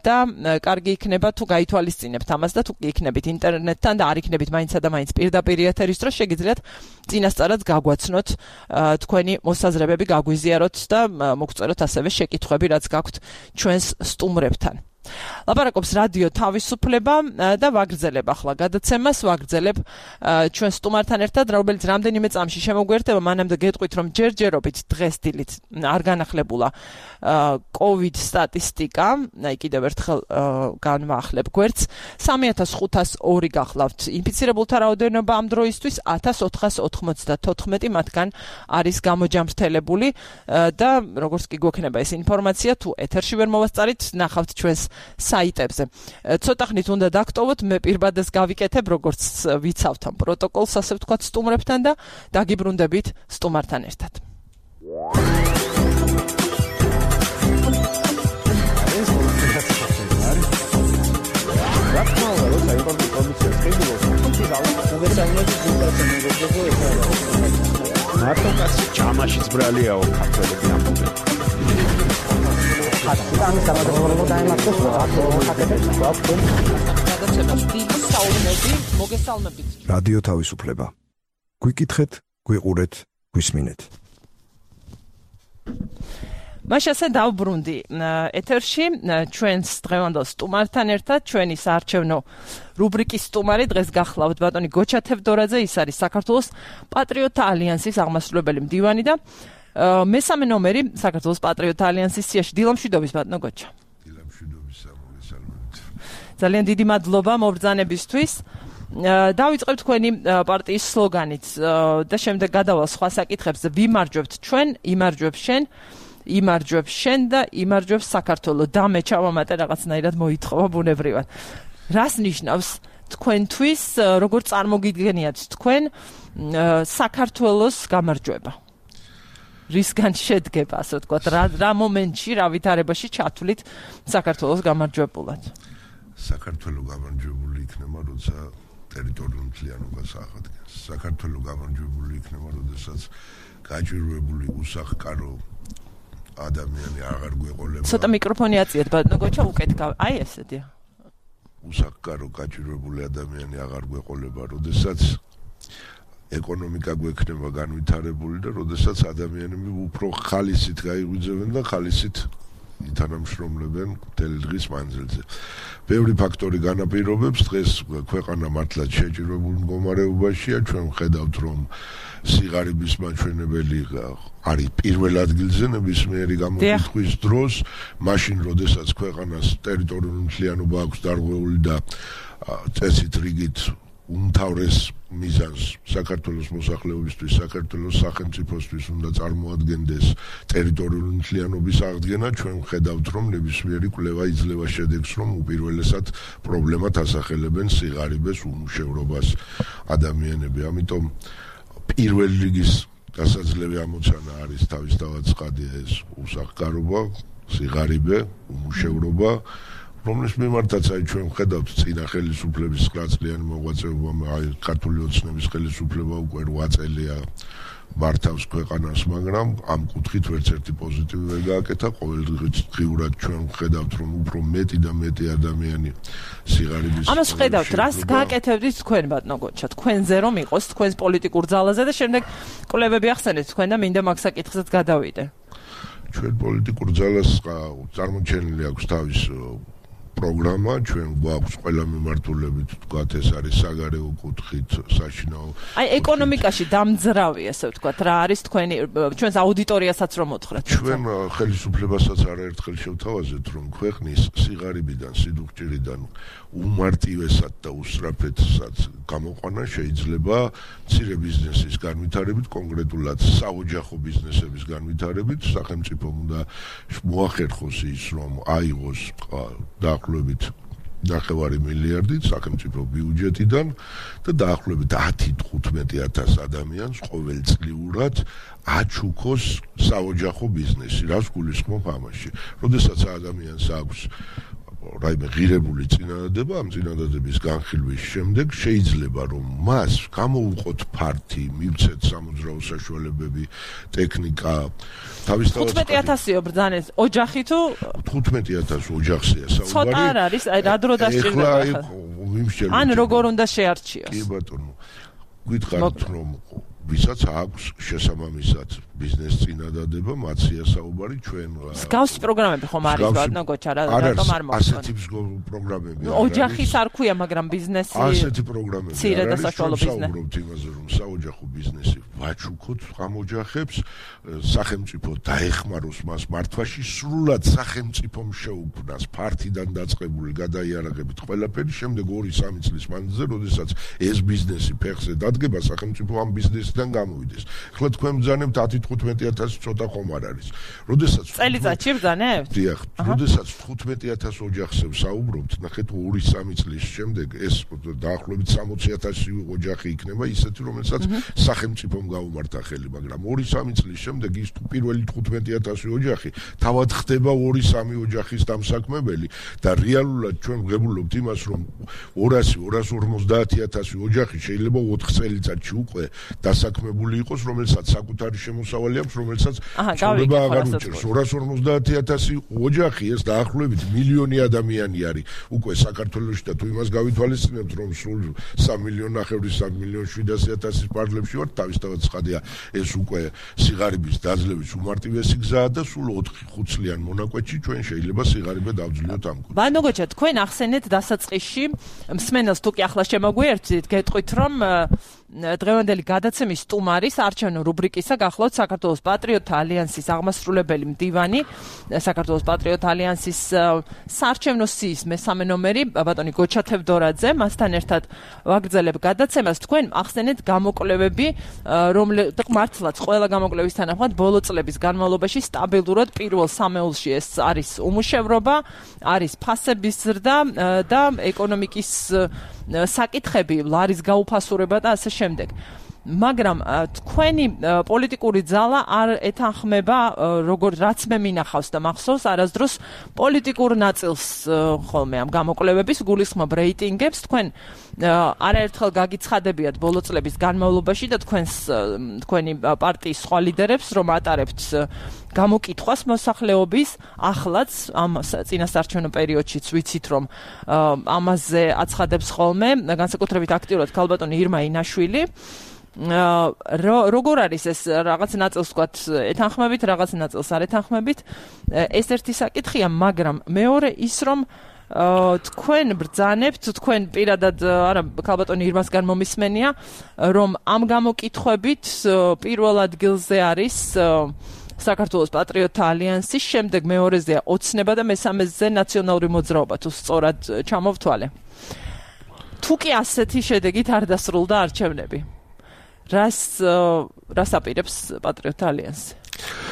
და კარგი იქნება თუ გაითვალისწინებთ ამას და თუ იქნებით ინტერნეტთან და არ იქნებით მაინცსა და მაინც პირდაპირ ეთერის დროს შეგიძლიათ წინასწარად გაგვაცნოთ თქვენი მოსაზრებები გაგვიზიაროთ და მოგწეროთ ასევე შეკითხვები რაც გაქვთ ჩვენს სტუმრებთან. ლაპარაკობს რადიო თავისუფლება და ვაგრძელებ ახლა გადაცემას, ვაგრძელებ ჩვენ სტუმართან ერთად, რომელიც რამდენიმე წამში შემოგვიერთდება, მანამდე გეტყვით რომ ჯერჯერობით დღეს დილით არ განახლებულა COVID სტატისტიკა, აი კიდევ ერთხელ განვაახლებ გვერდს, 3502 გახლავთ ინფიცირებულთა რაოდენობა ამ დროისთვის 1494 მათგან არის გამოჯამრთელებული და როგორც კი გვექნება ეს ინფორმაცია, თუ ეთერში ვერ მოვასწარით, ნახავთ ჩვენს საიტებზე. ცოტა ხნით უნდა დაგტოვოთ, მე პირბადეს გავიკეთებ, როგორც ვიცავთ ამ პროტოკოლს, ასე ვთქვათ, სტუმრებთან და დაგიბრუნდებით სტუმართან ერთად. მარტო კაცი ჯამაშიც ბრალიაო ქართველები ამბობენ. რადიო თავისუფლება. გვიკითხეთ, გვიყურეთ, გვისმინეთ. მაშასე დავბრუნდი ეთერში ჩვენს დღევანდელ სტუმართან ერთად, ჩვენი საარჩევნო რუბრიკის სტუმარი დღეს გახლავთ ბატონი გოჩა თევდორაძე, ის არის საქართველოს პატრიოტთა ალიანსის აღმასრულებელი მდივანი და მესამე ნომერი საქართველოს პატრიოტთა ალიანსის სიაში. დილამშვიდობის ბატონო გოჩა. დილამშვიდობის სამოგესალმებით. ძალიან დიდი მადლობა მობრძანებისთვის. დავიწყებ თქვენი პარტიის სლოგანით და შემდეგ გადავალ სხვა საკითხებზე. ვიმარჯვებთ ჩვენ, იმარჯვებ შენ, იმარჯვებ შენ და იმარჯვებს საქართველო. და მე ჩავამატე რაღაცნაირად მოითხოვა ბუნებრივად. რას ნიშნავს თქვენთვის, როგორ წარმოგიდგენიათ თქვენ საქართველოს გამარჯვება? რისგან შედგება, ასე ვთქვათ, რა მომენტში, რა ვითარებაში ჩათვლით საქართველოს გამარჯვებულად? საქართველო გამარჯვებული იქნება, როცა ტერიტორიული მთლიანობას აღადგენს. საქართველო გამარჯვებული იქნება, როდესაც გაჭირვებული უსახკარო ადამიანი აღარ გვეყოლება. ცოტა მიკროფონი აწიეთ, ბატონო გოჩა, უკეთ აი ესეთია. უსახკარო გაჭირვებული ადამიანი აღარ გვეყოლება, როდესაც ეკონომიკა გვექნება განვითარებული და როდესაც ადამიანები უფრო ხალისით გაიღვიძებენ და ხალისით ითანამშრომლებენ მთელი დღის მანძილზე. ბევრი ფაქტორი განაპირობებს დღეს ქვეყანა მართლაც შეჭირვებულ მდგომარეობაშია. ჩვენ ვხედავთ რომ სიღარიბის მაჩვენებელი არის პირველ ადგილზე ნებისმიერი გამოკითხვის დროს, მაშინ როდესაც ქვეყანას ტერიტორიული მთლიანობა აქვს დარღვეული და წესით რიგით უმთავრეს მიზანს საქართველოს მოსახლეობისთვის, საქართველოს სახელმწიფოსთვის უნდა წარმოადგენდეს ტერიტორიული მთლიანობის აღდგენა, ჩვენ ვხედავთ რომ ნებისმიერი კვლევა იძლევა შედეგს რომ უპირველესად პრობლემად ასახელებენ სიღარიბეს, უმუშევრობას ადამიანები. ამიტომ პირველ რიგის გასაძლევი ამოცანა არის თავისთავად ცხადია ეს უსახკარობა, სიღარიბე, უმუშევრობა, რომლის მიმართაც აი ჩვენ ვხედავთ წინა ხელისუფლების 9 წლიანი მოღვაწეობა, აი ქართული ოცნების ხელისუფლება უკვე 8 წელია მართავს ქვეყანას, მაგრამ ამ კუთხით ვერც ერთი პოზიტივი ვერ გააკეთა. ყოველდღიურად ჩვენ ვხედავთ რომ უფრო მეტი და მეტი ადამიანი სიღარიბის ამას ვხედავთ, რას გააკეთებდით თქვენ ბატონო გოჩა, თქვენზე რომ იყოს თქვენს პოლიტიკურ ძალაზე და შემდეგ კვლევები ახსენეთ თქვენ და მინდა მაგ საკითხზეც გადავიდე. ჩვენ პოლიტიკურ ძალას წარმოჩენილი აქვს თავის პროგრამა, ჩვენ გვაქვს ყველა მიმართულებით, თქვათ, ეს არის საგარეო კუთხით, საშინაო. აი, ეკონომიკაში დამძრავი, ასე ვთქვათ, რა არის თქვენი ჩვენს აუდიტორიასაც რომ მოთხრათ. ჩვენ ხელისუფლებასაც არაერთხელ შევთავაზეთ, რომ ქვეყნის სიღარიბიდან, სიდუხჭირიდან უმარტივესად და უსწრაფედსაც გამოყვანა შეიძლება მცირე ბიზნესის განვითარებით, კონკრეტულად საოჯახო ბიზნესების განვითარებით, სახელმწიფომ უნდა მოახერხოს ის, რომ აიღოს დაახლოებით 9 მილიარდით სახელმწიფო ბიუჯეტიდან და დაახლოებით 10-15,000 ადამიანს ყოველწლიურად აჩუქოს საოჯახო ბიზნესი, რაც გულისხმობ ამაში. როდესაც ადამიანს აქვს რაიმე ღირებული წინადადება, ამ წინადადების განხილვის შემდეგ შეიძლება რომ მას გამოუყოთ ფართი, მივცეთ სამოძრაო საშუალებები, ტექნიკა, თავისთავად 15,000-ო ბრძანეთ, ოჯახი თუ 15,000 ოჯახია საუბარი. ცოტა არ არის, აი რა დრო დასჭირდება ახლა. ან როგორ უნდა შეარჩიოს? კი ბატონო. გითხარით რომ ვისაც აქვს შესაბამისად ბიზნეს წინადადება, მათია საუბარი ჩვენ. მსგავსი პროგრამები ხომ არის ბატონო გოჩა, რატომ არ მოხდა? ასეთი პროგრამები არ არის. ოჯახის არ ქვია, მაგრამ ბიზნესი ასეთი პროგრამები არ არის. საუბრობთ იმაზე, რომ საოჯახო ბიზნესი ვაჩუქოთ ამ ოჯახებს, სახელმწიფო დაეხმაროს მას მართვაში, სრულად სახელმწიფომ შეუქმნას ფართიდან დაწყებული გადაიარაღებით ყველაფერი, შემდეგ 2-3 წლის მანძილზე, როდესაც ეს ბიზნესი ფეხზე დადგება, სახელმწიფო ამ ბიზნესიდან გამოვიდეს. ახლა თქვენ ბრძანებთ 10-15,000 ცოტა ხომ არ არის. როდესაც წელიწადში ბრძანებთ? დიახ, როდესაც 15,000 ოჯახზე ვსაუბრობთ, ნახეთ 2-3 წლის შემდეგ ეს დაახლოებით 60,000 ოჯახი იქნება ისეთი, რომელსაც სახელმწიფომ გაუმართა ხელი, მაგრამ 2-3 წლის შემდეგ ის პირველი 15,000 ოჯახი თავად ხდება 2-3 ოჯახის დამსაქმებელი და რეალურად ჩვენ ვღებულობთ იმას, რომ 200-250,000 ოჯახი შეიძლება 4 წელიწადში უკვე დასაქმებული იყოს, რომელსაც საკუთარი შემოსავალი აქვს, რომელსაც ცხოვრება აღარ უჭერს. 250,000 ოჯახი ეს დაახლოებით მილიონი ადამიანი არის უკვე საქართველოში და თუ იმას გავითვალისწინებთ, რომ სულ 3,900,000-3,700,000 პარლებში ვართ, თავისთავად ცხადია, ეს უკვე სიღარიბის დაძლევის უმარტივესი გზაა და სულ 4-5 წლიან მონაკვეთში ჩვენ შეიძლება სიღარიბე დავძლიოთ ამ კუთხით. ბანო გოჩა, თქვენ ახსენეთ დასაწყისში, მსმენელს თუ კი ახლა შემოგვიერთდით, გეტყვით რომ დღევანდელი გადაცემის სტუმარის არჩევნო რუბრიკისა გახლავთ საქართველოს პატრიოტთა ალიანსის აღმასრულებელი მდივანი, საქართველოს პატრიოტთა ალიანსის საარჩევნო სიის მესამე ნომერი ბატონი გოჩა თევდორაძე, მასთან ერთად ვაგრძელებ გადაცემას. თქვენ ახსენეთ გამოკვლევები, რომლებიც მართლაც ყველა გამოკვლევის თანახმად ბოლო წლების განმავლობაში სტაბილურად პირველ სამეულში ეს არის უმუშევრობა, არის ფასების ზრდა და ეკონომიკის საკითხები, ლარის გაუფასურება და ასე შემდეგ. მაგრამ თქვენი პოლიტიკური ძალა არ ეთანხმება, როგორც რაც მე მინახავს და მახსოვს არასდროს პოლიტიკურ ნაწილს ხოლმე ამ გამოკვლევების გულისხმობ რეიტინგებს. თქვენ არაერთხელ გაგიცხადებიათ ბოლო წლების განმავლობაში და თქვენი პარტიის სხვა ლიდერებს, რომ ატარებთ გამოკითხვას მოსახლეობის, ახლაც ამ წინასაარჩევნო პერიოდშიც ვიცით, რომ ამაზე აცხადებს ხოლმე განსაკუთრებით აქტიურად ქალბატონი ირმა ინაშვილი. როგორ არის ეს რაღაც ნაწილს ვთქვათ ეთანხმებით, რაღაც ნაწილს არ ეთანხმებით? ეს ერთი საკითხია, მაგრამ მეორე ის, რომ თქვენ ბრძანებთ, თქვენ პირადად არა ქალბატონი ირმასგან მომისმენია, რომ ამ გამოკითხვებით პირველ ადგილზე არის საქართველოს პატრიოტთა ალიანსის, შემდეგ მეორეზეა ოცნება და მესამეზე ნაციონალური მოძრაობა, თუ სწორად ჩამოვთვალე. თუ კი ასეთი შედეგით არ დასრულდა არჩევნები, რას აპირებს პატრიოტთა ალიანსი?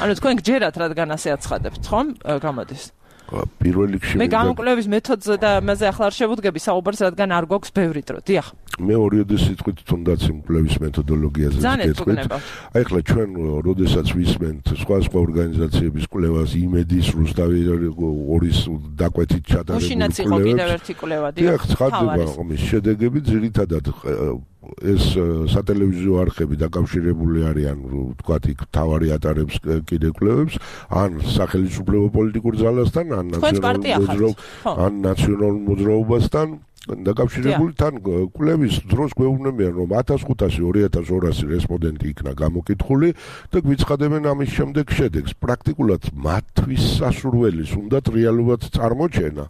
ანუ თქვენ გჯერათ, რადგან ასე აცხადებთ, ხომ? გამოდის. პირველ რიგში მე გამოკვლევის მეთოდზე და ამაზე ახლა არ შევუდგები საუბარს, რადგან არ გვაქვს ბევრი დრო. დიახ. მე ორიოდე სიტყვით თუნდაც იმ კვლევის მეთოდოლოგიაზე ვკითხეთ. აი ახლა ჩვენ როდესაც ვისმენთ სხვა ორგანიზაციების კვლევას, იმედის, რუსთავი ორის დაკვეთით ჩატარებული კვლევები. უშინაც იყო კიდევ ერთი კვლევა, დიახ. ცხადდება ამის შედეგები ძირითადად ეს სატელევიზიო არხები დაკავშირებული არიან, ვთქვათ, იქ თავარი ატარებს კიდე კვლევებს, ან სახელმწიფო პოლიტიკურ ძალასთან, ან ნაციონალურ მოძრაობასთან დაკავშირებული, თან კვლევის დროს გვეუბნებიან, რომ 1500-2200 რესპონდენტი იქნა გამოკითხული და გვიცხადებენ ამის შემდეგ შედეგს. პრაქტიკულად მათთვის სასურველის უნდათ რეალურად წარმოჩენა.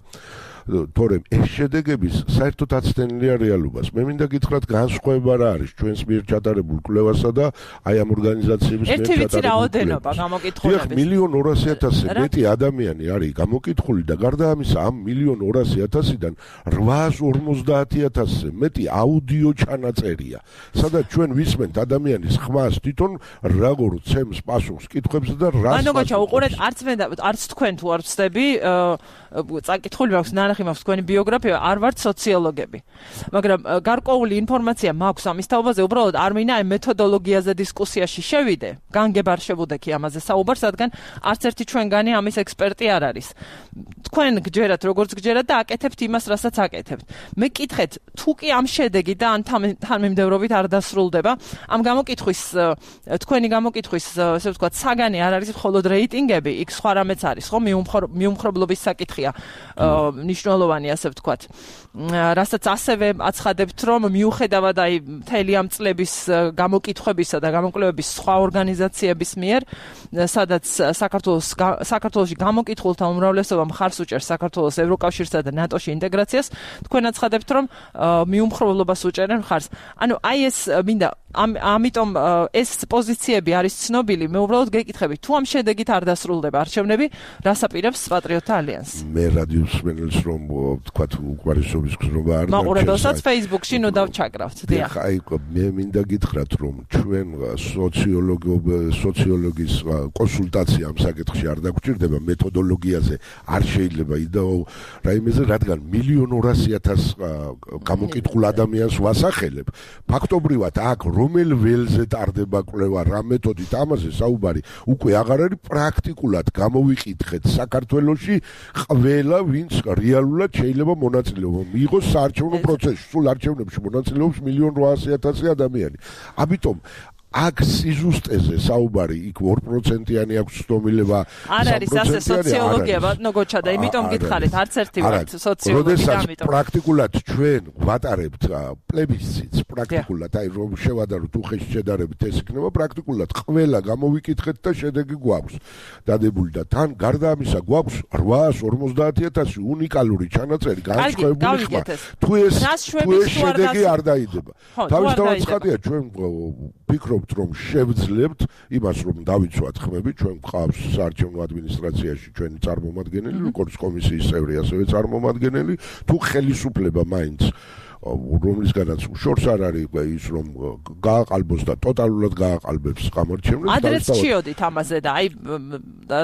თორემ ეს შედეგების საერთოდ აცდენილია რეალობას. მე მინდა გითხრათ, განსხვავება რა არის ჩვენს მიერ ჩატარებულ კვლევასა და აი ამ ორგანიზაციების მიერ ჩატარებულ. ერთი რაოდენობა გამოკითხულების. 1,200,000 მეტი ადამიანი არის გამოკითხული და გარდა ამისა ამ 1,200,000-დან 850,000-ზე მეტი აუდიო ჩანაწერია. სადაც ჩვენ ვისმენთ ადამიანის ხმას თვითონ როგორ ცემს პასუხს კითხვებზე და რას. ანუ გოჩა უყურეთ არც თქვენ თუ არ ვწდები წაკითხული მაქვს ნანახი მაქვს თქვენი ბიოგრაფია არ ვართ სოციოლოგები მაგრამ გარკვეული ინფორმაცია მაქვს ამის თაობაზე უბრალოდ არ მინდა აი მეთოდოლოგიაზე დისკუსიაში შევიდე განგებ არ შევუდექი ამაზე საუბარს რადგან არც ერთი ჩვენგანი ამის ექსპერტი არ არის თქვენ გჯერათ როგორც გჯერათ და აკეთებთ იმას რასაც აკეთებთ მე კითხეთ თუ კი ამ შედეგი და ან თანმიმდევრობით არ დასრულდება ამ გამოკითხვის თქვენი გამოკითხვის ესე ვთქვათ საგანი არ არის მხოლოდ რეიტინგები იქ სხვა რამეც არის ხო მიუმხრობლობის საკითხია ნიშნულოვანი ასე ვთქვათ რასაც ასევე აცხადებთ რომ მიუხედავად აი მთელი ამ წლების გამოკითხვებისა და გამოკვლევების სხვა ორგანიზაციების მიერ სადაც საქართველოში გამოკითხულთა უმრავლესობა მხარს უჭერს საქართველოს ევროკავშირსა და ნატოში ინტეგრაციას თქვენ აცხადებთ რომ მიუმხრობლობას უჭერენ მხარს ანუ აი ეს მინდა ამიტომ ეს პოზიციები არის ცნობილი მე უბრალოდ გეკითხები თუ ამ შედეგით არ დასრულდება არჩევნები რას აპირებს პატრიოტთა ალიანსი მე რადიოს მენელს რომ თქვა უკმარისობის გზნობა არ მაყურებელსაც Facebook-ში ნუ დავჩაკრავთ დიახ აი მე მინდა გითხრათ რომ ჩვენ სოციოლოგის კონსულტაცია ამ საკითხში არ დაგვჭირდება მეთოდოლოგიაზე არ შეიძლება იდეო რაიმეზე რადგან 1,200,000 გამოკითხულ ადამიანს ვასახელებ ფაქტობრივად აქ რომელ ველზე ტარდება კვლევა რა მეთოდით ამაზე საუბარი უკვე აღარ არის პრაქტიკულად გამოვიკითხეთ საქართველოში ყველა ვინც რეალურად შეიძლება მონაწილეობა მიიღოს საარჩევნო პროცესში სულ არჩევნებში მონაწილეობს 1,800,000 ადამიანი ამიტომ აქ სიზუსტეზე საუბარი იქ 2%-იანი აქვს ცნობილება არ არის ასე სოციოლოგია ბატონო გოჩა და იმიტომ გითხარით არც ერთი ვართ სოციოლოგი და ამიტომ პრაქტიკულად ჩვენ ვატარებთ პლებისციტს პრაქტიკულად აი რომ შევადაროთ უხეში შედარებით ეს იქნება პრაქტიკულად ყველა გამოვიკითხეთ და შედეგი გვაქვს დადებული და თან გარდა ამისა გვაქვს 850,000 უნიკალური ჩანაწერი განსხვავებული ხმა თუ ეს შედეგი არ დაიდება თავისთავად ცხადია ჩვენ ვფიქრობ რომ შევძლებთ იმას რომ დავიცვათ ხმები ჩვენ გვყავს საარჩევნო ადმინისტრაციაში ჩვენი წარმომადგენელი როგორც კომისიის წევრი ასევე წარმომადგენელი თუ ხელისუფლება მაინც რომლისგანაც შორს არ არის ის რომ გააყალბოს და ტოტალურად გააყალბებს გამარჩევნებს ადრეც შიოდით ამაზე და აი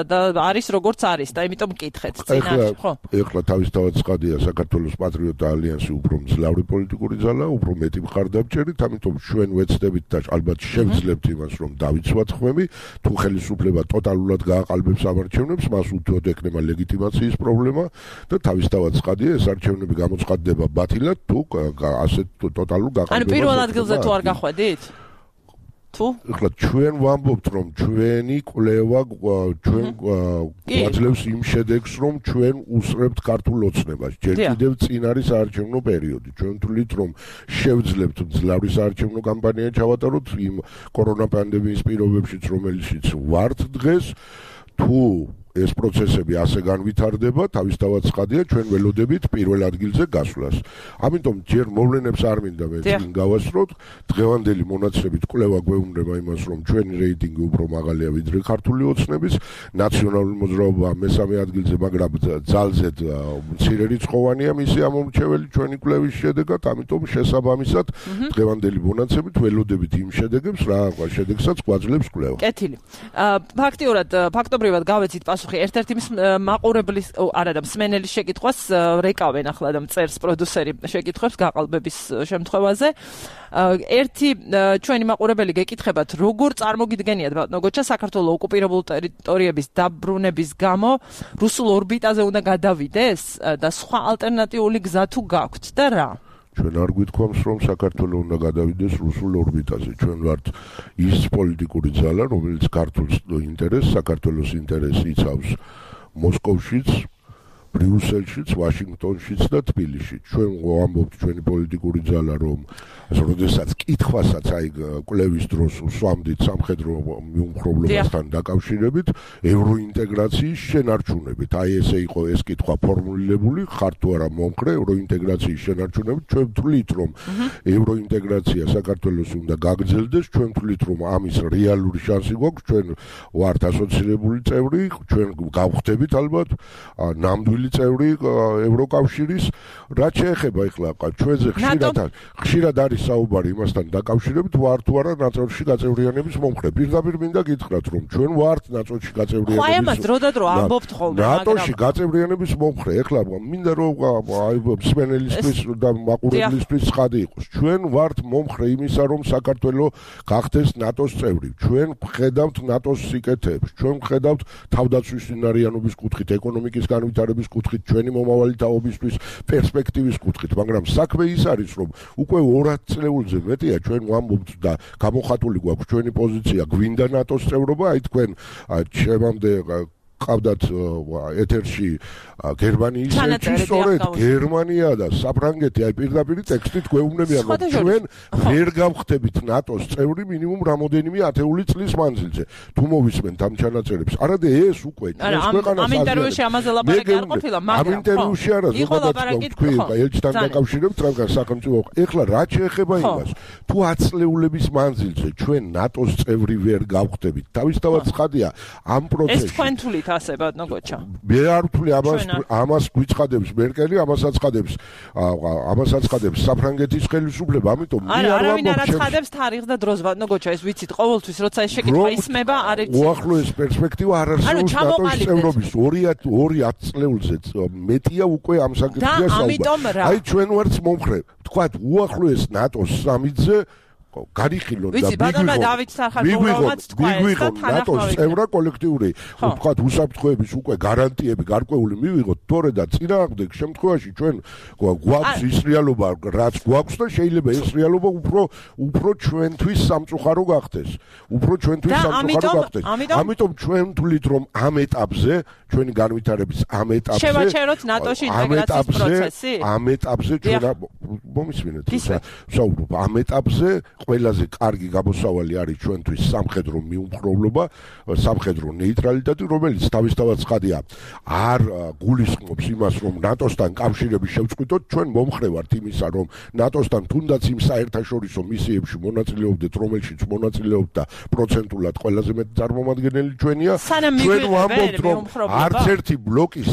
და არის როგორც არის და იმიტომ მკითხეთ წინაშე ხო ეხლა თავისთავად ცხადია საქართველოს პატრიოტთა ალიანსი უფრო მძლავრი პოლიტიკური ძალაა უფრო მეტი მხარდამჭერით ამიტომ ჩვენ ვეცდებით და ალბათ შევძლებთ იმას რომ დავიცვათ ხმები თუ ხელისუფლება ტოტალურად გააყალბებს ამარჩევნებს მას უთუოდ ექნება ლეგიტიმაციის პრობლემა და თავისთავად ცხადია ეს არჩევნები გამოცხადდება ბათილად თუ ასეთ ტოტალურ გაყალბებას. ანუ პირველ ადგილზე თუ არ გახვედით? თუ? ეხლა ჩვენ ვამბობთ რომ ჩვენი კვლევა ჩვენ გვაძლევს იმ შედეგს რომ ჩვენ უსწრებთ ქართულ ოცნებას. ჯერ კიდევ წინ არის საარჩევნო პერიოდი. ჩვენ თვლით რომ შევძლებთ მძლავრი საარჩევნო კამპანია ჩავატაროთ იმ კორონა პანდემიის პირობებშიც რომელშიც ვართ დღეს თუ ეს პროცესები ასე განვითარდება, თავისთავად ცხადია, ჩვენ ველოდებით პირველ ადგილზე გასვლას. ამიტომ ჯერ მოვლენებს არ მინდა მე წინ გავასწროთ, დღევანდელი მონაცემებით კვლევა გვეუბნება იმას, რომ ჩვენი რეიტინგი უფრო მაღალია ვიდრე ქართული ოცნების, ნაციონალური მოძრაობა მესამე ადგილზე, მაგრამ ძალზედ მცირერიცხოვანია მისი ამომრჩეველი ჩვენი კვლევის შედეგად, ამიტომ შესაბამისად დღევანდელი მონაცემით ველოდებით იმ შედეგებს, რა შედეგსაც გვაძლევს კვლევა. კეთილი. ფაქტობრივად გავეცით ერთ-ერთი მაყურებლის არა და მსმენელის შეკითხვას რეკავენ ახლა და მწერს პროდიუსერი შეკითხვებს გაყალბების შემთხვევაზე. ერთი ჩვენი მაყურებელი გეკითხებათ, როგორ წარმოგიდგენიათ ბატონო გოჩა საქართველოს ოკუპირებული ტერიტორიების დაბრუნების გამო რუსულ ორბიტაზე უნდა გადავიდეს და სხვა ალტერნატიული გზა თუ გაქვთ და რა? ჩვენ არ გვითქვამს რომ საქართველოს უნდა გადავიდეს რუსულ ორბიტაზე. ჩვენ ვართ ის პოლიტიკური ძალა, რომელიც ქართულს ინტერესს, საქართველოს ინტერესს იცავს მოსკოვშიც, ბრიუსელშიც, ვაშინგტონშიც და თბილისშიც. ჩვენ ვამბობთ ჩვენი პოლიტიკური ძალა, რომ როდესაც კითხვასაც აი კვლევის დროს უსვამდით სამხედრო მიუმხრობლობასთან დაკავშირებით, ევროინტეგრაციის შენარჩუნებით. აი ესე იყო ეს კითხვა ფორმულირებული, ხარ თუ არა მომხრე ევროინტეგრაციის შენარჩუნებით. ჩვენ ვთვლით, რომ ევროინტეგრაცია საქართველოს უნდა გაგრძელდეს, ჩვენ ვთვლით, რომ ამის რეალური შანსი გვაქვს, ჩვენ ვართ ასოცირებული წევრი, ჩვენ გავხდებით ალბათ ნამდვილი წევრი ევროკავშირის. რაც შეეხება ეხლა ჩვენზე ხშირად არის საუბარი იმასთან დაკავშირებით, ვართ თუ არა ნატოში გაწევრიანების მომხრე. პირდაპირ მინდა გითხრათ, რომ ჩვენ ვართ ნატოში გაწევრიანების. ხო, ამას დროდადრო ამბობთ ხოლმე, მაგრამ ნატოში გაწევრიანების მომხრე. ეხლა მინდა რომ აი მსმენელისთვის და მაყურებლისთვის ცხადი იყოს. ჩვენ ვართ მომხრე იმისა, რომ საქართველო გახდეს ნატოს წევრი. ჩვენ ვხედავთ ნატოს სიკეთეებს. ჩვენ ვხედავთ თავდაცვის უნარიანობის კუთხით, ეკონომიკის განვითარების კუთხით, ჩვენი მომავალი თაობისთვის პერსპექტივის კუთხით, მაგრამ საქმე ის არის, რომ უკვე 200 წლეულზე მეტია ჩვენ ვამბობთ და გამოხატული გვაქვს ჩვენი პოზიცია, გვინდა ნატოს წევრობა, აი თქვენ ჩემამდე ყავდათ ეთერში გერმანიის ელჩი, სწორედ გერმანია და საფრანგეთი აი პირდაპირ ტექსტით გვეუბნებიან, რომ ჩვენ ვერ გავხდებით ნატოს წევრი მინიმუმ რამოდენიმე ათეული წლის მანძილზე. თუ მოვისმენთ ამ ჩანაწერებს, არადა ეს უკვე ჩვენს ქვეყანას ამ ინტერვიუში ამაზე ლაპარაკი არ ყოფილა, მაგრამ ამ ინტერვიუში არა, ზოგადად თქვი ელჩთან დაკავშირებით რადგან სახელმწიფო. ეხლა რა შეეხება იმას, თუ 10 წლეულების მანძილზე ჩვენ ნატოს წევრი ვერ გავხდებით, თავისთავად ცხადია ამ პროცესში. ეს თქვენ თulit ასე ბატონო გოჩა. მე არ ვთვლი ამას გვიცხადებს მერკელი, ამასაც ცხადებს საფრანგეთის ხელისუფლება, ამიტომ მე არ ვამბობ. არავინ არ აცხადებს თარიღს და დროს ბატონო გოჩა, ეს ვიცით ყოველთვის როცა ეს შეკითხვა ისმება, არ იცით. უახლოეს პერსპექტივა არ არსებობს ნატოს წევრობის 2 წლეულზე მეტია უკვე ამ საკითხზე საუბარი. აი ჩვენ ვართ მომხრე. თქვათ უახლოეს ნატოს სამიტზე გარიხილონ და მიგვიღონ ნატოს წევრა კოლექტიური ვთქვათ უსაფრთხოების უკვე გარანტიები გარკვეული მივიღოთ, თორე და წინააღმდეგ შემთხვევაში ჩვენ გვაქვს ის რეალობა რაც გვაქვს და შეიძლება ეს რეალობა უფრო ჩვენთვის სამწუხარო გახდეს. ამიტომ ჩვენ ვთვლით, რომ ამ ეტაპზე ჩვენი განვითარების ამ ეტაპზე შევაჩეროთ ნატოში ინტეგრაციის პროცესი. ამ ეტაპზე ჩვენ მომისმინეთ საუბრობ ამ ეტაპზე ყველაზე კარგი გამოსავალი არის ჩვენთვის სამხედრო მიუმხრობლობა, სამხედრო ნეიტრალიტეტი, რომელიც თავისთავად ცხადია არ გულისხმობს იმას, რომ ნატოსთან კავშირების შევწყვიტოთ. ჩვენ მომხრე ვართ იმისა, რომ ნატოსთან თუნდაც იმ საერთაშორისო მისიებში მონაწილეობდეთ, რომელშიც მონაწილეობთ და პროცენტულად ყველაზე მეტი წარმომადგენელი ჩვენია. ჩვენ ვამბობთ, რომ არც ერთი ბლოკის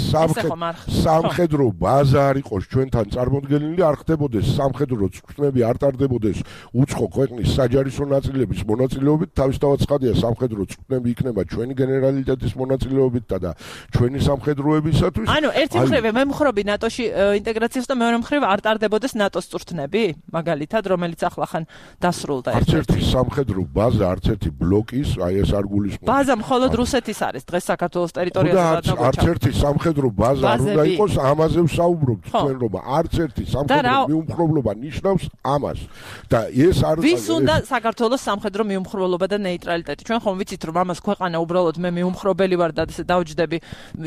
სამხედრო ბაზა არ იყოს ჩვენთან წარმოდგენილი, არ ხდებოდეს სამხედრო წვრთნები, არ ტარდებოდეს უცხო ქვეყნის საჯარისო ნაწილების მონაწილეობით, თავისთავად ცხადია სამხედრო წვრთნები იქნება ჩვენი გენერალიტეტის მონაწილეობით და ჩვენი სამხედროებისათვის. ანუ ერთი მხრივ მემხრობი ნატოში ინტეგრაციას და მეორე მხრივ არ ტარდებოდეს ნატოს წვრთნები, მაგალითად, რომელიც ახლახან დასრულდა. არც ერთი სამხედრო ბაზა, არც ერთი ბლოკის, აი ეს არ გულისხმობს. ბაზა მხოლოდ რუსეთის არის დღეს საქართველოს ტერიტორიაზე. არც ერთი სამხედრო ბაზა არ უნდა იყოს, ამაზე ვსაუბრობთ თქვენ, რომ არც ერთი სამხედრო მიუმხრობლობა ნიშნავს ამას. და ეს არ ვის უნდა საქართველოს სამხედრო მიუმხრობლობა და ნეიტრალიტეტი? ჩვენ ხომ ვიცით, რომ ამას ქვეყანა უბრალოდ მე მიუმხრობელი ვარ და ესე დავჯდები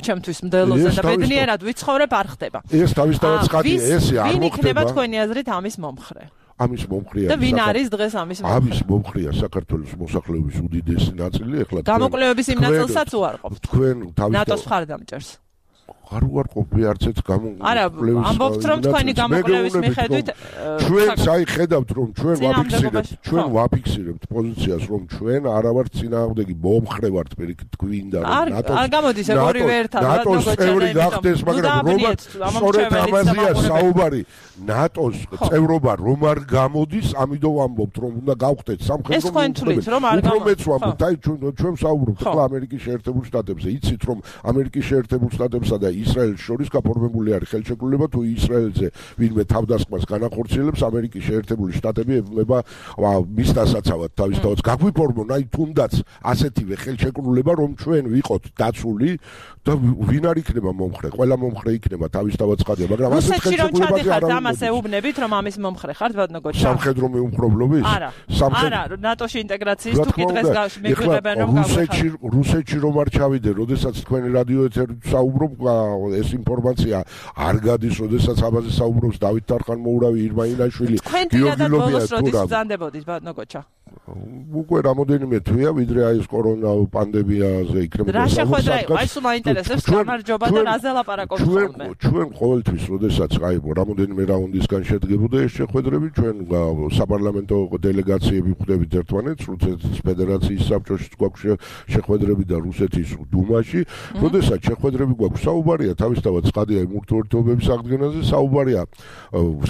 ჩემთვის მდელოზე და ბედნიერად ვიცხოვრებ არ ხდება. ეს თავისთავად ცხადია, ესე არ ვინ იქნება თქვენი აზრით ამის მომხრე? ამის მომხრეა და ვინ არის დღეს ამის მომხრე? ამის მომხრეა საქართველოს მოსახლეობის უდიდესი ნაწილი. ეხლა გამოკვლევების იმ ნაწილსაც უარყოფთ. თქვენ თავისთავად ნატოს მხარდამჭერს. არ უარყოფი არც ერთ გამოკვლევის. არა, ამბობთ რომ თქვენი გამოკვლევის მიხედვით ჩვენს აი ხედავთ რომ ჩვენ ვაფიქსირებთ პოზიციას, რომ ჩვენ არა ვართ წინააღმდეგი, მომხრე ვართ პირიქით გვინდა რომ არ გამოდის ეგ ორივე ერთად ნატოს წევრი გახდეს, მაგრამ სწორედ ამაზეა საუბარი. ნატოს წევრობა რომ არ გამოდის, ამიტომ ვამბობთ რომ უნდა გავხდეთ სამხედრო მოქმედებით. უბრალოდ ვამბობთ, აი ჩვენ საუბრობთ ახლა ამერიკის შეერთებულ შტატებზე. იცით რომ ამერიკის შეერთებულ შტატებსა და ისრაელს შორის გაფორმებული არის ხელშეკრულება, თუ ისრაელზე ვინმე თავდასხმას განახორციელებს, ამერიკის შეერთებული შტატები ებუნება მის დასაცავად თავისთავად გაგვიფორმონ აი თუნდაც ასეთივე ხელშეკრულება, რომ ჩვენ ვიყოთ დაცული და ვინ არ იქნება მომხრე, ყველა მომხრე იქნება თავისთავად ცხადია, მაგრამ ასეთ ხელშეკრულებაზე არ არის. ამას ეუბნებით, რომ ამის მომხრე ხართ, ბატონო გოჩა? სამხედრო მიუმხრობლობის? არა, ნატოში ინტეგრაციის თუ კი დღეს მეგვიყვებიან რომ რუსეთში რომ არ ჩავიდე, როდესაც თქვენი რადიო ეთერით საუბრობ, ეს ინფორმაცია არ გადის, როდესაც ამაზე საუბრობს დავით თარხან-მოურავი, ირმა ინაშვილი, გიორგი ლობია თუ რა. ბრძანდებოდით ბატონო გოჩა. უკვე რამოდენიმე თვეა, ვიდრე აი ეს კორონა პანდემიაზე იქნებოდა. რა შეხვედრა იყო? აი სულ მაინტერესებს გამარჯობა და რაზე ლაპარაკობთ ხოლმე. ჩვენ ყოველთვის, როდესაც აი რამოდენიმე რაუნდისგან შედგებოდა ეს შეხვედრები, ჩვენ საპარლამენტო დელეგაციები ხვდებით ერთმანეთს, რუსეთის ფედერაციის საბჭოში გვაქვს შეხვედრები და რუსეთის დუმაში, როდესაც შეხვედრები გვაქვს საუბარია თავისთავად ცხადია იმ ურთიერთობების აღდგენაზე, საუბარია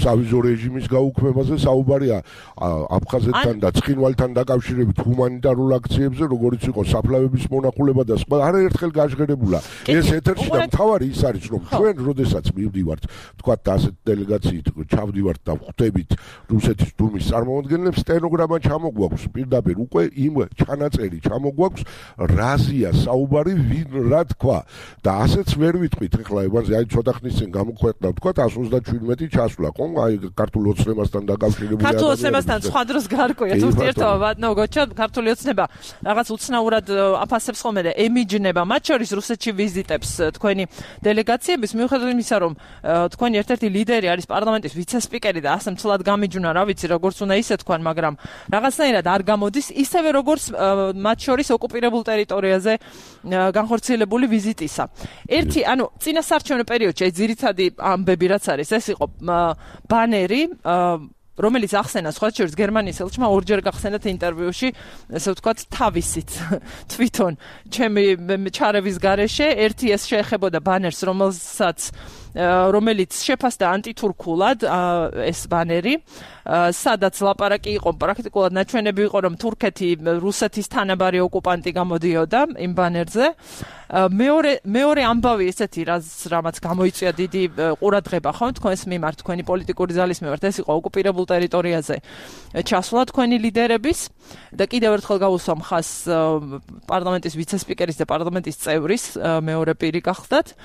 სავიზო რეჟიმის გაუქმებაზე, საუბარია აფხაზეთთან და ცხინვალთან დაკავშირებით ჰუმანიტარულ აქციებზე, როგორც იყო საფლავების მონახულება და სხვა, არაერთხელ გაჟღერებულა. ეს ეთერში და მთავარი ის არის, რომ ჩვენ როდესაც მივდივართ, თქვათ ასეთ დელეგაციით ჩავდივართ და ხვდებით რუსეთის დუმის წარმომადგენლებს, სტენოგრამა ჩამოგვაქვს, პირდაპირ უკვე იმ ჩანაწერი ჩამოგვაქვს, რაზია საუბარი, ვინ რა თქვა და ასეც ვერ ვიტყვით ახლა ევანზე, აი ცოტა ხნის წინ გამოქვეყნდა, თქვათ 137 ჩასვლა, ხო? აი ქართულ ოცნებასთან დაკავშირებული ქართულ ოცნებასთან სხვა დროს გარკვეა ურთიერთობა ბატონო გოჩა, ქართული ოცნება რაღაც უცნაურად აფასებს ხოლმე და ემიჯნება, მათ შორის რუსეთში ვიზიტებს თქვენი დელეგაციების, მიუხედავად იმისა, რომ თქვენი ერთ-ერთი ლიდერი არის პარლამენტის ვიცე-სპიკერი და ასე მცლად გამიჯვნა, რა ვიცი, როგორც უნდა ისე თქვან, მაგრამ რაღაცნაირად არ გამოდის, ისევე როგორც მათ შორის ოკუპირებულ ტერიტორიაზე განხორციელებული ვიზიტისა. ერთი, ანუ წინასარჩევნო პერიოდში ეს ძირითადი ამბები რაც არის, ეს იყო ბანერი, რომელიც ახსენა სხვა შორის გერმანიის ელჩმა ორჯერ გახსენათ ინტერვიუში, ესე ვთქვათ, თავისით თვითონ ჩემი ჩარევის გარეშე, ერთი ეს შეეხებოდა ბანერს, რომელიც შეფასდა ანტითურქულად ეს ბანერი, სადაც ლაპარაკი იყო, პრაქტიკულად ნაჩვენები იყო, რომ თურქეთი რუსეთის თანაბარი ოკუპანტი გამოდიოდა იმ ბანერზე. მეორე ამბავი ესეთი, რამაც გამოიწვია დიდი ყურადღება, ხო, თქვენს მიმართ, თქვენი პოლიტიკური ძალის მიმართ, ეს იყო ოკუპირებულ ტერიტორიაზე ჩასვლა თქვენი ლიდერების და კიდევ ერთხელ გავუსვა მხას პარლამენტის ვიცე-სპიკერის და პარლამენტის წევრის მეორე პირი გახდათ.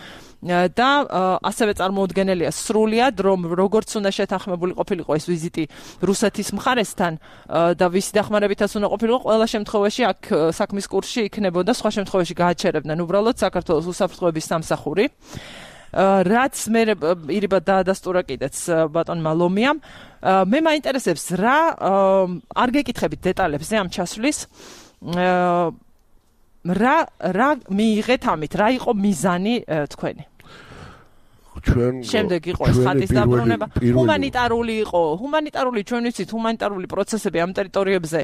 და ასევე წარმოუდგენელია სრულად, რომ როგორც უნდა შეთანხმებული ყოფილიყო ეს ვიზიტი რუსეთის მხარესთან და ვისი დახმარებითაც უნდა ყოფილიყო, ყველა შემთხვევაში აქ საქმის კურსში იქნებოდა, სხვა შემთხვევაში გააჩერებდნენ უბრალოდ საქართველოს უსაფრთხოების სამსახური. რაც მე ირიბად დაადასტურა კიდეც ბატონმა ლომიამ, მე მაინტერესებს რა არ გეკითხებით დეტალებზე ამ ჩასვლის, რა მიიღეთ ამით, რა იყო მიზანი თქვენი? შემდეგ იყო ეს ხატის დაბრუნება, ჰუმანიტარული ჩვენ ვიცით, ჰუმანიტარული პროცესები ამ ტერიტორიებზე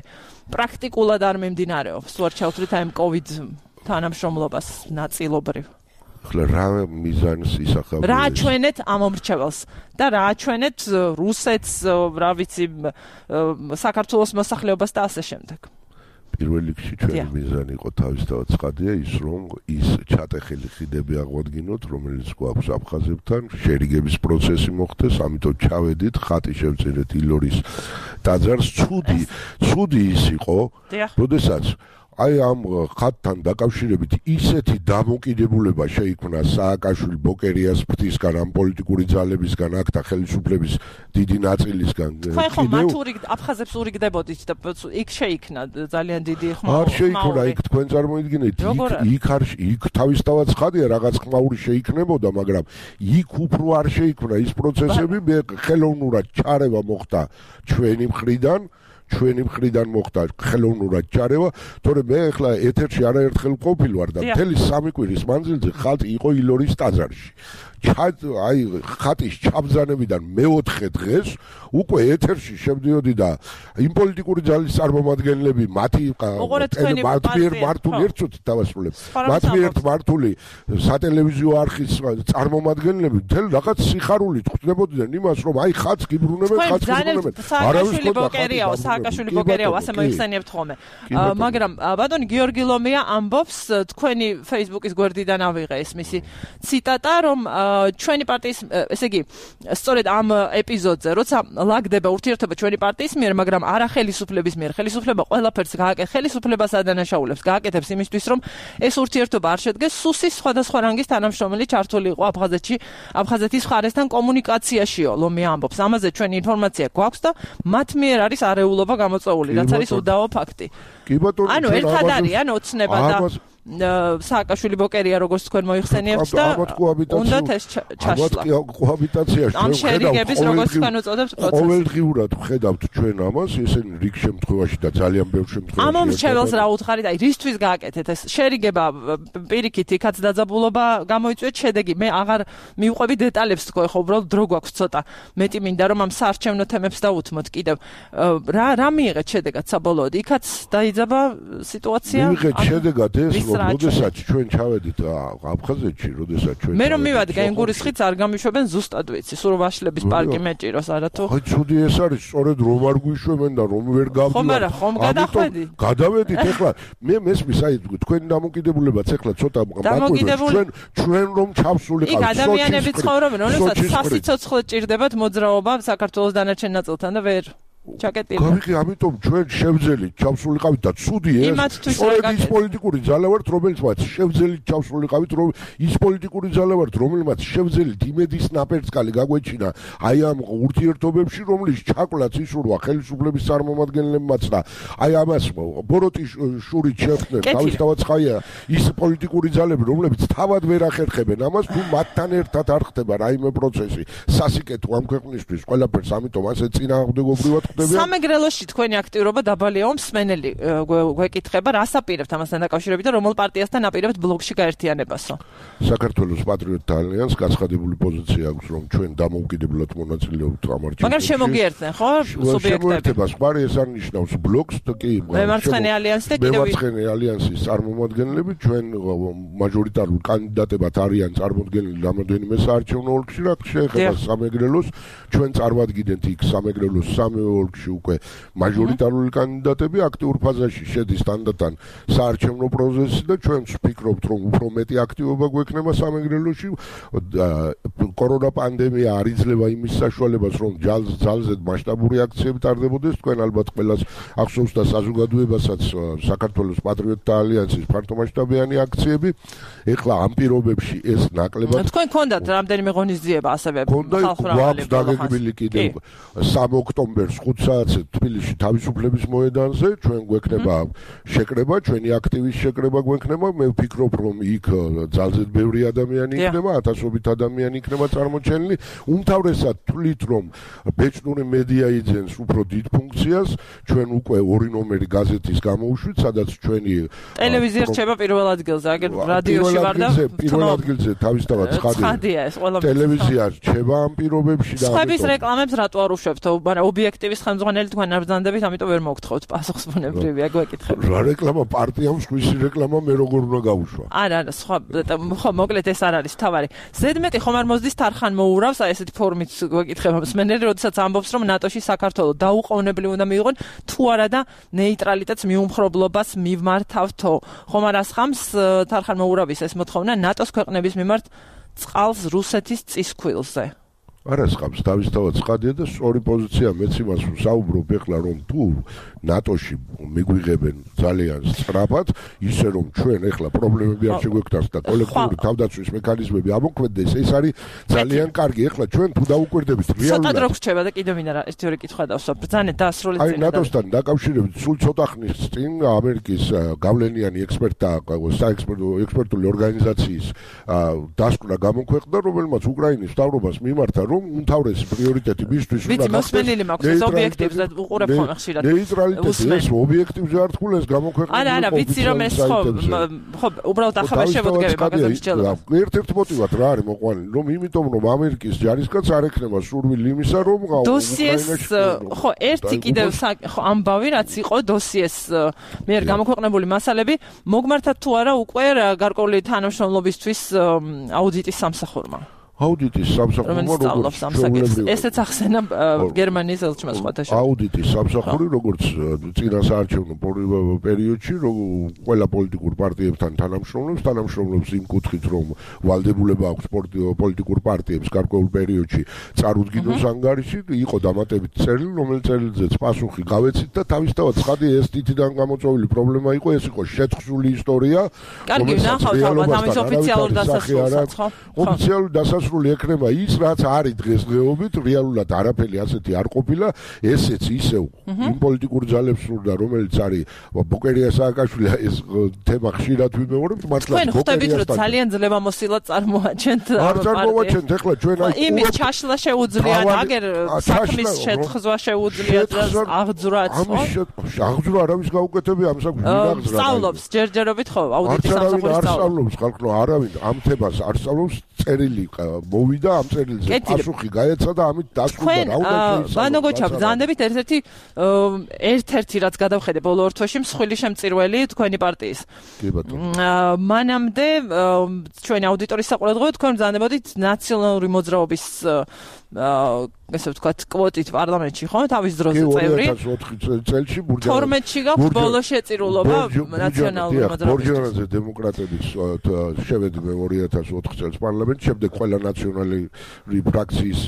პრაქტიკულად არ მიმდინარეობს, თუ არ ჩავთვლით აი COVID თანამშრომლობას ნაწილობრივ. ახლა რა მიზანს ისახავენ? რა აჩვენეთ ამ მომრჩეველს და რა აჩვენეთ რუსეთს, რა ვიცი, საქართველოს მოსახლეობას და ასე შემდეგ. პირველ რიგში ჩვენი მიზანი იყო თავისთავად ცხადია ის, რომ ის ჩატეხილი ხიდები აღვადგინოთ, რომელიც გვაქვს აფხაზებთან, შერიგების პროცესი მოხდეს, ამიტომ ჩავედით, ხატი შევწერეთ ილორის ტაძარს, ცუდი ის იყო, როდესაც აი ამ ხატთან დაკავშირებით ისეთი დამოკიდებულება შეიქმნა სააკაშვილი ბოკერიას ფრთისგან, ამ პოლიტიკური ძალებისგან, აქ და ხელისუფლების დიდი ნაწილისგან. ხო, მათური აფხაზებს ურიგდებოდით და იქ შეიქმნა ძალიან დიდი ხმაური. არ შეიქმნა, იქ თქვენ წარმოიდგინეთ, იქ თავისთავად ცხადია რაღაც ხმაური შეიქმნებოდა, მაგრამ იქ უფრო არ შეიქმნა ის პროცესები, ხელოვნურად ჩარევა მოხდა ჩვენი მხრიდან მოხდა ხელოვნურად ჩარევა, თორემ მე ახლა ეთერში არაერთხელ ყოფილ ვარ და მთელი 3 კვირის მანძილზე ხალხი იყო ილორის ტაძარში. აი ხატის ჩაბრძანებიდან მე-4 დღეს უკვე ეთერში შევდიოდი და იმ პოლიტიკური ძალის წარმომადგენლები მათ მიერ მართული ერთად დავასრულებ. მათ მიერ მართული სატელევიზიო არხის წარმომადგენლები მთელ რაღაც სიხარულით ხვდებოდნენ იმას, რომ აი ხატს გიბრუნებენ. სააკაშვილი ბოკერიაო, ასე მოიხსენიებთ ხოლმე. მაგრამ ბატონი გიორგი ლომია ამბობს, თქვენი Facebook-ის გვერდიდან ავიღე ეს მისი ციტატა, რომ ჩვენი პარტიის, ესე იგი, სწორედ ამ ეპიზოდზე, როცა ლაგდება ურთიერთობა ჩვენი პარტიის მიერ, მაგრამ არა ხელისუფლების მიერ. ხელისუფლება ყველაფერს ხელისუფლებას ადანაშაულებს, გააკეთებს იმისთვის, რომ ეს ურთიერთობა არ შედგეს. სუსის სხვადასხვა რანგის თანამშრომელი ჩართული იყო აფხაზეთის მხარესთან კომუნიკაციაშიო, ლომია ამბობს. ამაზე ჩვენი ინფორმაცია გვაქვს და მათ მიერ არის არეულობა გამოწვეული, რაც არის უდავო ფაქტი. კი ბატონო, ანუ ერთად არიან ოცნება და სააკაშვილი ბოკერია როგორც თქვენ მოიხსენიებთ და უნდათ ეს ჩაშლა. კოაბიტაციაში ამ შერიგების როგორც თქვენ უწოდებთ პროცესი. ყოველდღიურად ვხედავთ ჩვენ ამას, ესენი რიგ შემთხვევაში და ძალიან ბევრ შემთხვევაში. ამ მომრჩეველს რა უთხარით, აი რისთვის გააკეთეთ ეს შერიგება პირიქით იქაც დაძაბულობა გამოიწვიეთ შედეგი. მე აღარ მივყვები დეტალებს თქო, ხო უბრალოდ დრო გვაქვს ცოტა. მეტი მინდა რომ ამ საარჩევნო თემებს დავუთმოთ კიდევ. რა მიიღეთ შედეგად საბოლოოდ? იქაც დაიძაბა სიტუაცია? მიიღეთ შედეგად ეს, რომ როდესაც ჩვენ ჩავედით აფხაზეთში, როდესაც ჩვენ მე რომ მივადგა ენგურის ხიდს არ გამიშვებენ ზუსტად ვიცი, სულ ვაშლების პარკი მეჭიროს არათუ. ხო, ცუდი ეს არის, სწორედ რომ არ გვიშვებენ და რომ ვერ გავდივართ. ხომ არა, ხომ გადახვედი. გადავედით ეხლა, მე მესმის, აი თქვენი დამოკიდებულებაც ეხლა ცოტა მაგვიგვებს ჩვენ რომ ჩავსულიყავით. იქ ადამიანები ცხოვრობენ, როდესაც სასიცოცხლე ჭირდებათ მოძრაობა საქართველოს დანარჩენ ნაწილთან და ვერ ჩაკეტილი. გავიგე, ამიტომ ჩვენ შევძელით ჩავსულიყავით და ცუდი ეს. სწორედ ის პოლიტიკური ძალა ვართ, რომელსაც შევძელით ჩავსულიყავით, რომ ის პოლიტიკური ძალა ვართ, რომელსაც შევძელით იმედის ნაპერწკალი გაგვეჩინა აი ამ ურთიერთობებში, რომლის ჩაკლაც ისურვა ხელისუფლების წარმომადგენლებმაც და აი ამას ბოროტიშურით შეხვდნენ თავისთავად ხაია ის პოლიტიკური ძალები, რომლებიც თავად ვერ ახერხებენ ამას, თუ მათთან ერთად არ ხდება რაიმე პროცესი. სასიკეთო ამ ქვეყნისთვის ყველაფერს, ამიტომ ასე წინააღმდეგობრივად სამეგრელოში თქვენი აქტიურობა დაბალიაო მსმენელი გვეკითხება, რას აპირებთ ამასთან დაკავშირებით და რომელ პარტიასთან აპირებთ ბლოკში გაერთიანებასო? საქართველოს პატრიოტთა ალიანსს გაცხადებული პოზიცია აქვს, რომ ჩვენ დამოუკიდებლად მონაწილეობთ ამ არჩევნებში. მაგრამ შემოგიერთდნენ, ხო, სუბიექტები? შემოერთებას ხარ ეს არ ნიშნავს ბლოკს, კი. მემარცხენე ალიანსი და კიდევ მემარცხენე ალიანსის წარმომადგენლები ჩვენ მაჟორიტარულ კანდიდატებად არიან წარმოდგენილი რამოდენიმე საარჩევნო ოლქში, რა შეეხება სამეგრელოს, ჩვენ წარმოვადგინეთ იქ სამეგრელოს სამეო ოლქში უკვე მაჟორიტარული კანდიდატები აქტიურ ფაზაში შედის თანდათან საარჩევნო პროცესი და ჩვენ ვფიქრობთ, რომ უფრო მეტი აქტივობა გვექნება სამეგრელოში. კორონა პანდემია არ იძლევა იმის საშუალებას, რომ ძალზედ მასშტაბური აქციები ტარდებოდეს. თქვენ ალბათ ყველას ახსოვს და საზოგადოებასაც საქართველოს პატრიოტთა ალიანსის ფართომასშტაბიანი აქციები. ეხლა ამ პირობებში ეს ნაკლებად თქვენ გქონდათ რამდენიმე ღონისძიება ასევე ხალხმრავალი დაგეგმილი კიდევ 3 ოქტომბერს 5 საათზე თბილისში თავისუფლების მოედანზე ჩვენ გვექნება შეკრება, ჩვენი აქტივის შეკრება გვექნება. მე ვფიქრობ, რომ იქ ძალზედ ბევრი ადამიანი იქნება, ათასობით ადამიანი იქნება წარმოჩენილი. უმთავრესად თვლით, რომ ბეჭდური მედია იძენს უფრო დიდ ფუნქციას. ჩვენ უკვე 2 ნომერი გაზეთის გამოუშვით, სადაც ჩვენი ტელევიზია რჩება პირველ ადგილზე, აგერ რადიოში ვარ და პირველ ადგილზე თავისთავად ცხადია ეს ყველა ტელევიზია რჩება ამ პირობებში და სხვების რეკლამებს რატო არ უშვებთ? მაგრამ ობიექტივის ხელმძღვანელი თქვენ არ ბრძანდებით, ამიტომ ვერ მოგთხოვთ პასუხისმგებრივია გვეკითხება. რა რეკლამა პარტიამ სხვისი რეკლამა მე როგორ უნდა გავუშვა? არა, სხვა ხო მოკლედ ეს არ არის თავარი. ზედმეტი ხომ არ მოსდის თარხან მოურავს, აი ესეთი ფორმით გვეკითხება მსმენელი, როდესაც ამბობს, რომ ნატოში საქართველოს დაუყოვნებლივ უნდა მიიღონ, თუ არა და ნეიტრალიტეტს მიუმხრობლობას მივმართავთო. ხომ არ ასხამს თარხან მოურავის ეს მოთხოვნა ნატოს ქვეყნების მიმართ წყალს რუსეთის წისქვილზე? არასხამს თავისთავად ცხადია და სწორი პოზიცია მეც იმას ვსაუბრობ ეხლა, რომ თუ ნატოში მიგვიღებენ ძალიან სწრაფად, ისე რომ ჩვენ ეხლა პრობლემები არ შეგვექნას და კოლექტიური თავდაცვის მექანიზმები ამოქმედდეს, ეს არის ძალიან კარგი. ეხლა ჩვენ თუ დაუკვირდებით რეალურად ცოტა დრო გრჩება და კიდევ მინდა ერთი ორი კითხვა დავსვა. ბრძანეთ დაასრულეთ წინ. აი ნატოსთან დაკავშირებით სულ ცოტა ხნის წინ ამერიკის გავლენიანი ექსპერტული ორგანიზაციის დასკვნა გამოქვეყნდა, რომელმაც უკრაინის მთავრობას მიმართა, რომ უმთავრესი პრიორიტეტი მისთვის უნდა გახდეს მოსმენილი მაქვს ეს ობიექტივს და უყურებ ხომ ხშირად ნეიტრალიტეტი ეს ობიექტივზე არ თქულეს გამოქვეყნებული არა ვიცი რომ ეს ხო უბრალოდ ახლა შევდგები მაგაზე მსჯელობა ერთ-ერთი მოტივად რა არის მოყვანილი რომ იმიტომ რომ ამერიკის ჯარისკაც არ ექნება სურვილი იმისა რომ დოსიეს ხო ერთი კიდევ ხო ამბავი რაც იყო დოსიეს მიერ გამოქვეყნებული მასალები მოგმართათ თუ არა უკვე გარკვეული თანამშრომლობისთვის აუდიტის სამსახურმა აუდიტის სამსახურმა როგორც ესეც ახსენა გერმანიის ელჩმა სხვათა შორის აუდიტის სამსახური როგორც წინა საარჩევნო პერიოდში ყველა პოლიტიკურ პარტიებთან თანამშრომლობს იმ კუთხით რომ ვალდებულება აქვს პოლიტიკურ პარტიებს გარკვეულ პერიოდში წარუდგინოს ანგარიში იყო დამატებით წერილი რომელიც წერილზეც პასუხი გავეცით და თავისთავად ცხადია ეს თითიდან გამოწვეული პრობლემა იყო ეს იყო შეთხზული ისტორია კარგი ნახავთ ალბათ ამის ოფიციალურ დასასრულსაც ხო ოფიციალურ დასასრულს შესრულებული ექნება ის, რაც არის დღესდღეობით, რეალურად არაფერი ასეთი არ ყოფილა, ესეც ისევ იმ პოლიტიკურ ძალებს სურდა, რომელიც არის ბოკერია სააკაშვილი, ეს თემა ხშირად ვიმეორებთ, მართლა ბოკერიას. თქვენ ხვდებით, რომ ძალიან ძლევამოსილად წარმოაჩენთ არ წარმოაჩენთ, ეხლა ჩვენ იმის ჩაშლა შეუძლია, აგერ საქმის შეთხზვა შეუძლია და აღძვრაც, ხო? აღძვრა არავის გაუკეთებია ამ საქმეს ვინაღძრა. სწავლობს ჯერჯერობით ხო, აუდიტის სამსახურის არ სწავლობს ხალხო, არავინ ამ თემას არ სწავლობს, წერილი მოვიდა ამ წერილზე პასუხი გაეცა და ამით დასრულდა რა უნდა შეისწავლოს. ბანოგოჩა ბრძანდებით ერთ-ერთი რაც გადავხედე ბოლო ორ თვეში მსხვილი შემწირველი თქვენი პარტიის. კი ბატონო. მანამდე ჩვენი აუდიტორის საყურადღებოდ თქვენ ბრძანდებოდით ნაციონალური მოძრაობის ესე ვთქვათ, კვოტით პარლამენტში, ხო? თავის დროზე წევრი. 2004 წელში 12-ში გაქვს ბოლო შეწირულობა ნაციონალური მოძრაობის. ბორჯანაძე დემოკრატების შევედი მე 2004 წელს პარლამენტში, შემდეგ ყველა ნაციონალური ფრაქციის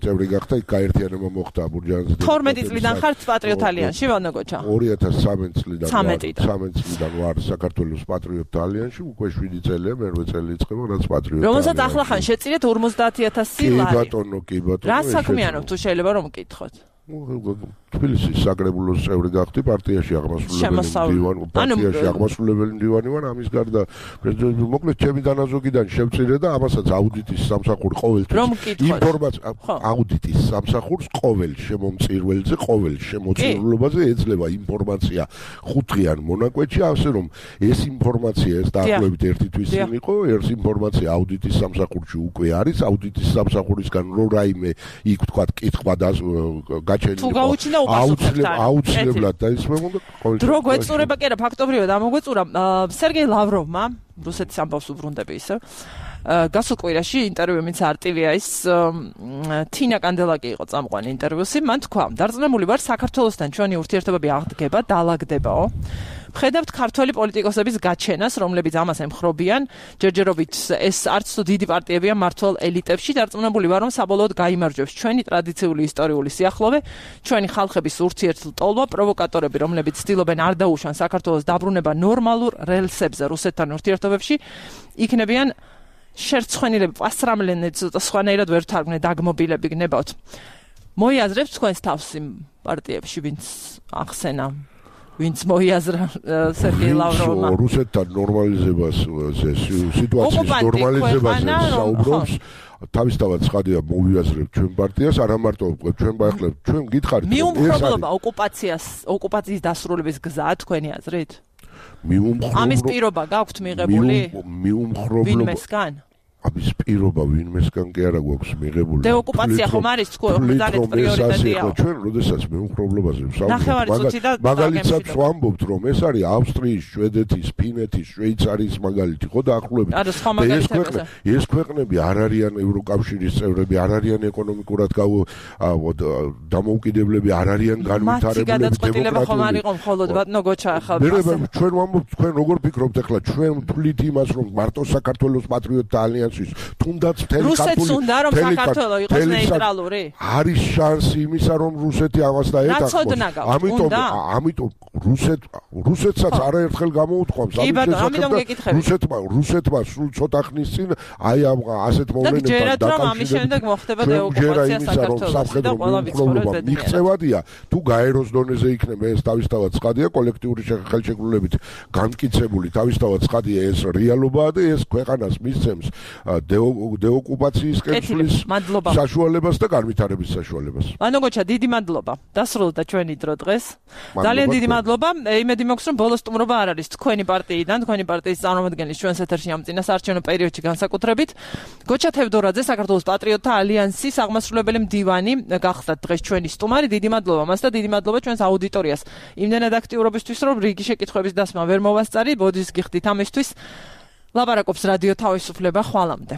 წევრი გახდა, იქ გაერთიანება მოხდა ბორჯანაძე. 12 წლიდან ხართ პატრიოტ ალიანსში, ვანოგოჩა? 2013 წლიდან 13 წლიდან ვარ საქართველოს პატრიოტ ალიანსში, უკვე 7 წელია, მერვე წელი იწყება, რაც პატრიოტ ალიანსში. რომელსაც ახლა ხან შეწირეთ 50000 ლარი. კი ბატონო, კი ბატონო. რა საქმიანობ თუ შეიძლება რომ მკითხოთ? თბილისის საკრებულოს წევრი გახდი, პარტიაში აღმასრულებელი მდივანი ვარ, ამის გარდა პრეზიდენტი მოკლედ ჩემი დანაზოგიდან შევწირე და ამასაც აუდიტის სამსახური ყოველთვის ინფორმაცია აუდიტის სამსახურს ყოველ შემომწირველზე, ყოველ შემოწირულობაზე ეძლევა ინფორმაცია ხუთღიან მონაკვეთში, ასე რომ ეს ინფორმაცია ეს დაახლოებით ერთი თვის წინ იყო, ეს ინფორმაცია აუდიტის სამსახურში უკვე არის, აუდიტის სამსახურისგან რო რაიმე იქ თქვა კითხვა და თუ გაუჩინა აუცილებლად დაისმენდა ყოველ დრო გვეწურება კი არა ფაქტობრივად ამოგვეწურა სერგეი ლავროვმა რუსეთის ამბავს უბრუნდები ისე გასულ კვირაში ინტერვიუ მის არტივიაის თინა კანდელაკი იყო წამყვანი ინტერვიუსი მან თქვა დარწმუნებული ვარ საქართველოსთან ჩვენი ურთიერთობები აღდგება დაალაგდებაო ხედავთ ქართველი პოლიტიკოსების გაჩენას, რომლებიც ამას ემხრობიან, ჯერჯერობით ეს არც თუ დიდი პარტიებია მართლ ელიტებში, დარწმუნებული ვარ, რომ საბოლოოდ გაიმარჯვებს ჩვენი ტრადიციული ისტორიული სიახლოვე, ჩვენი ხალხების ურთიერთლტოლვა, პროვოკატორები, რომლებიც ცდილობენ არ დაუშვან საქართველოს დაბრუნება ნორმალურ რელსებზე რუსეთთან ურთიერთობებში, იქნებიან შერცხვენილები, პასრამლენები, ცოტა სხვანაირად ვერ თარგმნე დაგმობილები გნებავთ. მოიაზრებთ თქვენს თავს იმ პარტიებში, ვინც ახსენა ვინც მოიაზრა სერგეი ლავროვმა რუსეთთან ნორმალიზებას სიტუაციის ნორმალიზებაზე საუბრობს თავისთავად ცხადია მოვიაზრებთ ჩვენ პარტიას არა მარტო ჩვენ ბაიხლებთ ჩვენ გითხარით მიუმხრობლობა ოკუპაციის დასრულების გზაა თქვენი აზრით ამის პირობა გაქვთ მიღებული ვინმესგან ამის პირობა ვინმესგან კი არა გვაქვს მიღებული. დეოკუპაცია ხომ არის ძალიან პრიორიტეტია. ჩვენ როდესაც მეუხრობლობაზე ვსაუბრობთ, მაგალითად ვამბობთ, რომ ეს არის ავსტრიის, შვედეთის, ფინეთის, შვეიცარიის მაგალითი, ხო დაახლოებით. ეს ქვეყნები არ არიან ევროკავშირის წევრები, არ არიან ეკონომიკურად დამოუკიდებლები, არ არიან განვითარებული დემოკრატიული. ჩვენ ვამბობთ, თქვენ როგორ ფიქრობთ ახლა ჩვენ თვლით იმას, რომ მარტო საქართველოს პატრიოტთა ალიანსი თუნდაც რუსეთს უნდა რომ საქართველო იყოს ნეიტრალური? არის შანსი იმისა რომ რუსეთი ამას დაეთანხმოს. ამიტომ რუსეთსაც არაერთხელ გამოუთქვამს რუსეთმა სულ ცოტა ხნის წინ აი ამ ასეთ მოვლენებთან დაკავშირებით მიღწევადია თუ გაეროს დონეზე იქნება ეს თავისთავად ცხადია კოლექტიური ხელშეკრულებით განმტკიცებული თავისთავად ცხადია ეს რეალობაა და ეს ქვეყანას მისცემს დეოკუპაციის კეთილის საშუალებას და განვითარების საშუალებას. ვანოგოჩა, დიდი მადლობა. დასრულდა ჩვენი დრო დღეს. ძალიან დიდი მადლობა. იმედი მაქვს, რომ ბოლოს სტუმრობა არ არის თქვენი პარტიიდან, თქვენი პარტიის წარმომადგენლის ჩვენს ეთერში ამ წინასაარჩევნო პერიოდში განსაკუთრებით. გოჩა თევდორაძე, საქართველოს პატრიოტთა ალიანსის აღმასრულებელი მდივანი, გახდათ დღეს ჩვენი სტუმარი. დიდი მადლობა მას და დიდი მადლობა ჩვენს აუდიტორიას. იმდენად აქტიურობისთვის, რომ რიგი შეკითხვების დასმა ვერ მოვასწარი, ბოდის გიხდით ამისთვის. ლაპარაკობს რადიო თავისუფლება ხვალამდე.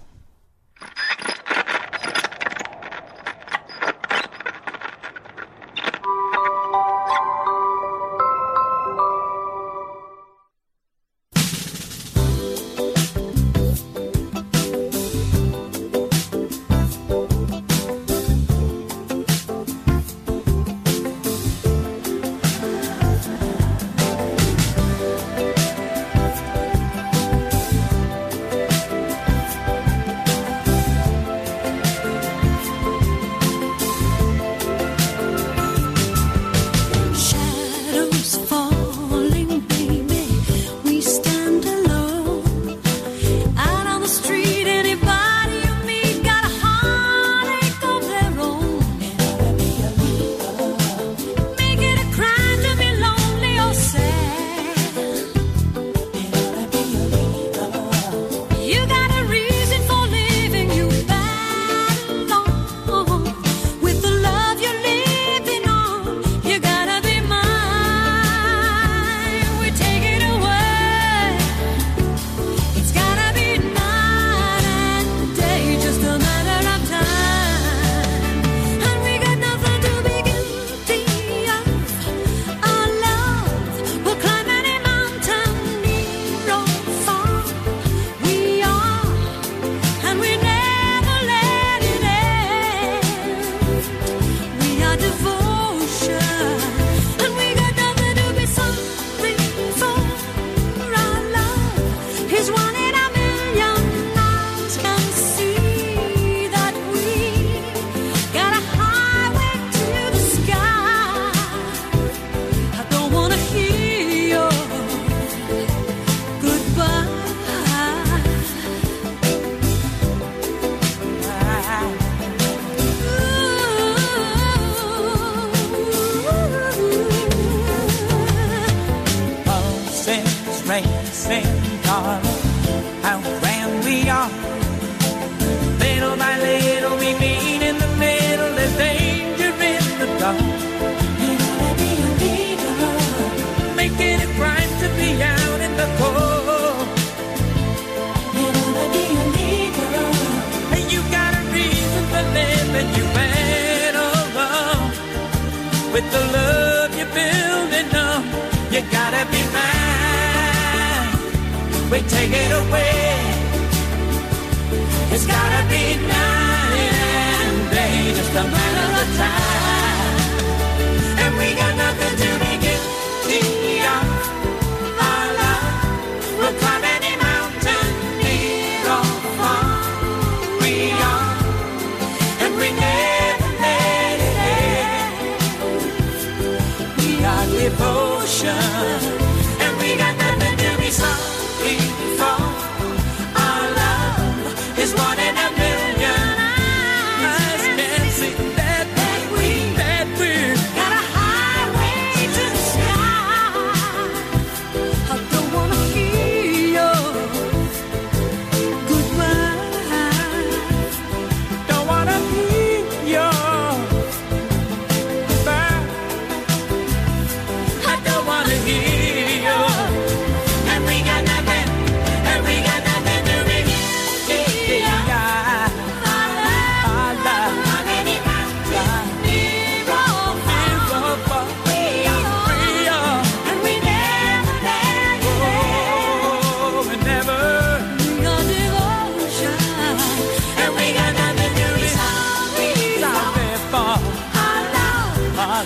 darling, how grand we are. Little by little we meet in the middle, there's danger in the dark. You gotta be a leader, making it right to be out in the cold. You gotta be a leader, and you got a reason for living, you went along with the love you're building up. You gotta be mine, we take it away. It's gotta be night and day, just a matter of time. And we got nothing to be guilty of. Our love will climb any mountain, near or far. We are, and we never let it end. We are devotion, and we got nothing to be sorry for. Our love is one in a million. Eyes can see that we got a highway to the sky. I don't wanna hear your goodbye. Don't wanna hear your goodbye. I don't wanna hear your. And we got nothing. And we got nothing to be.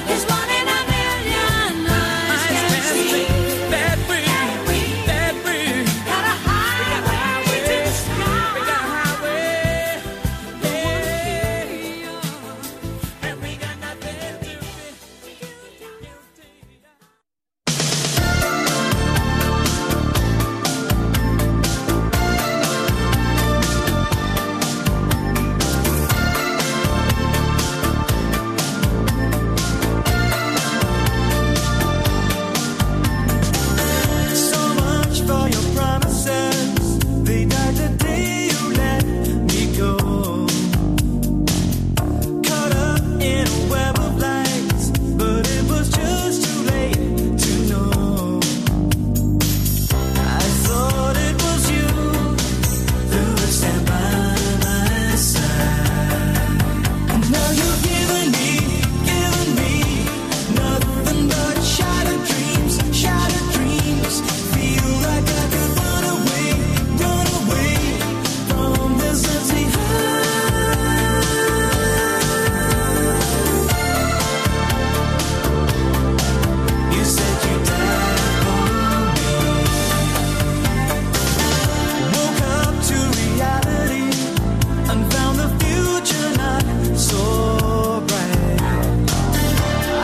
It's one in a million. Eyes can see that we got a highway to the sky. We got a highway, yeah. And we got nothing to be guilty. So much for your promises. They died the day you let me go. Caught up in a web of lies, but it was just too late to know. I thought it was you who would stand by my side. And now you've given me nothing but shattered dreams. Feel like I could run away from this empty heart. You said you died for me. Woke up to reality and found the future not so bright.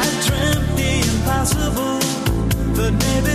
I dreamt the impossible, but maybe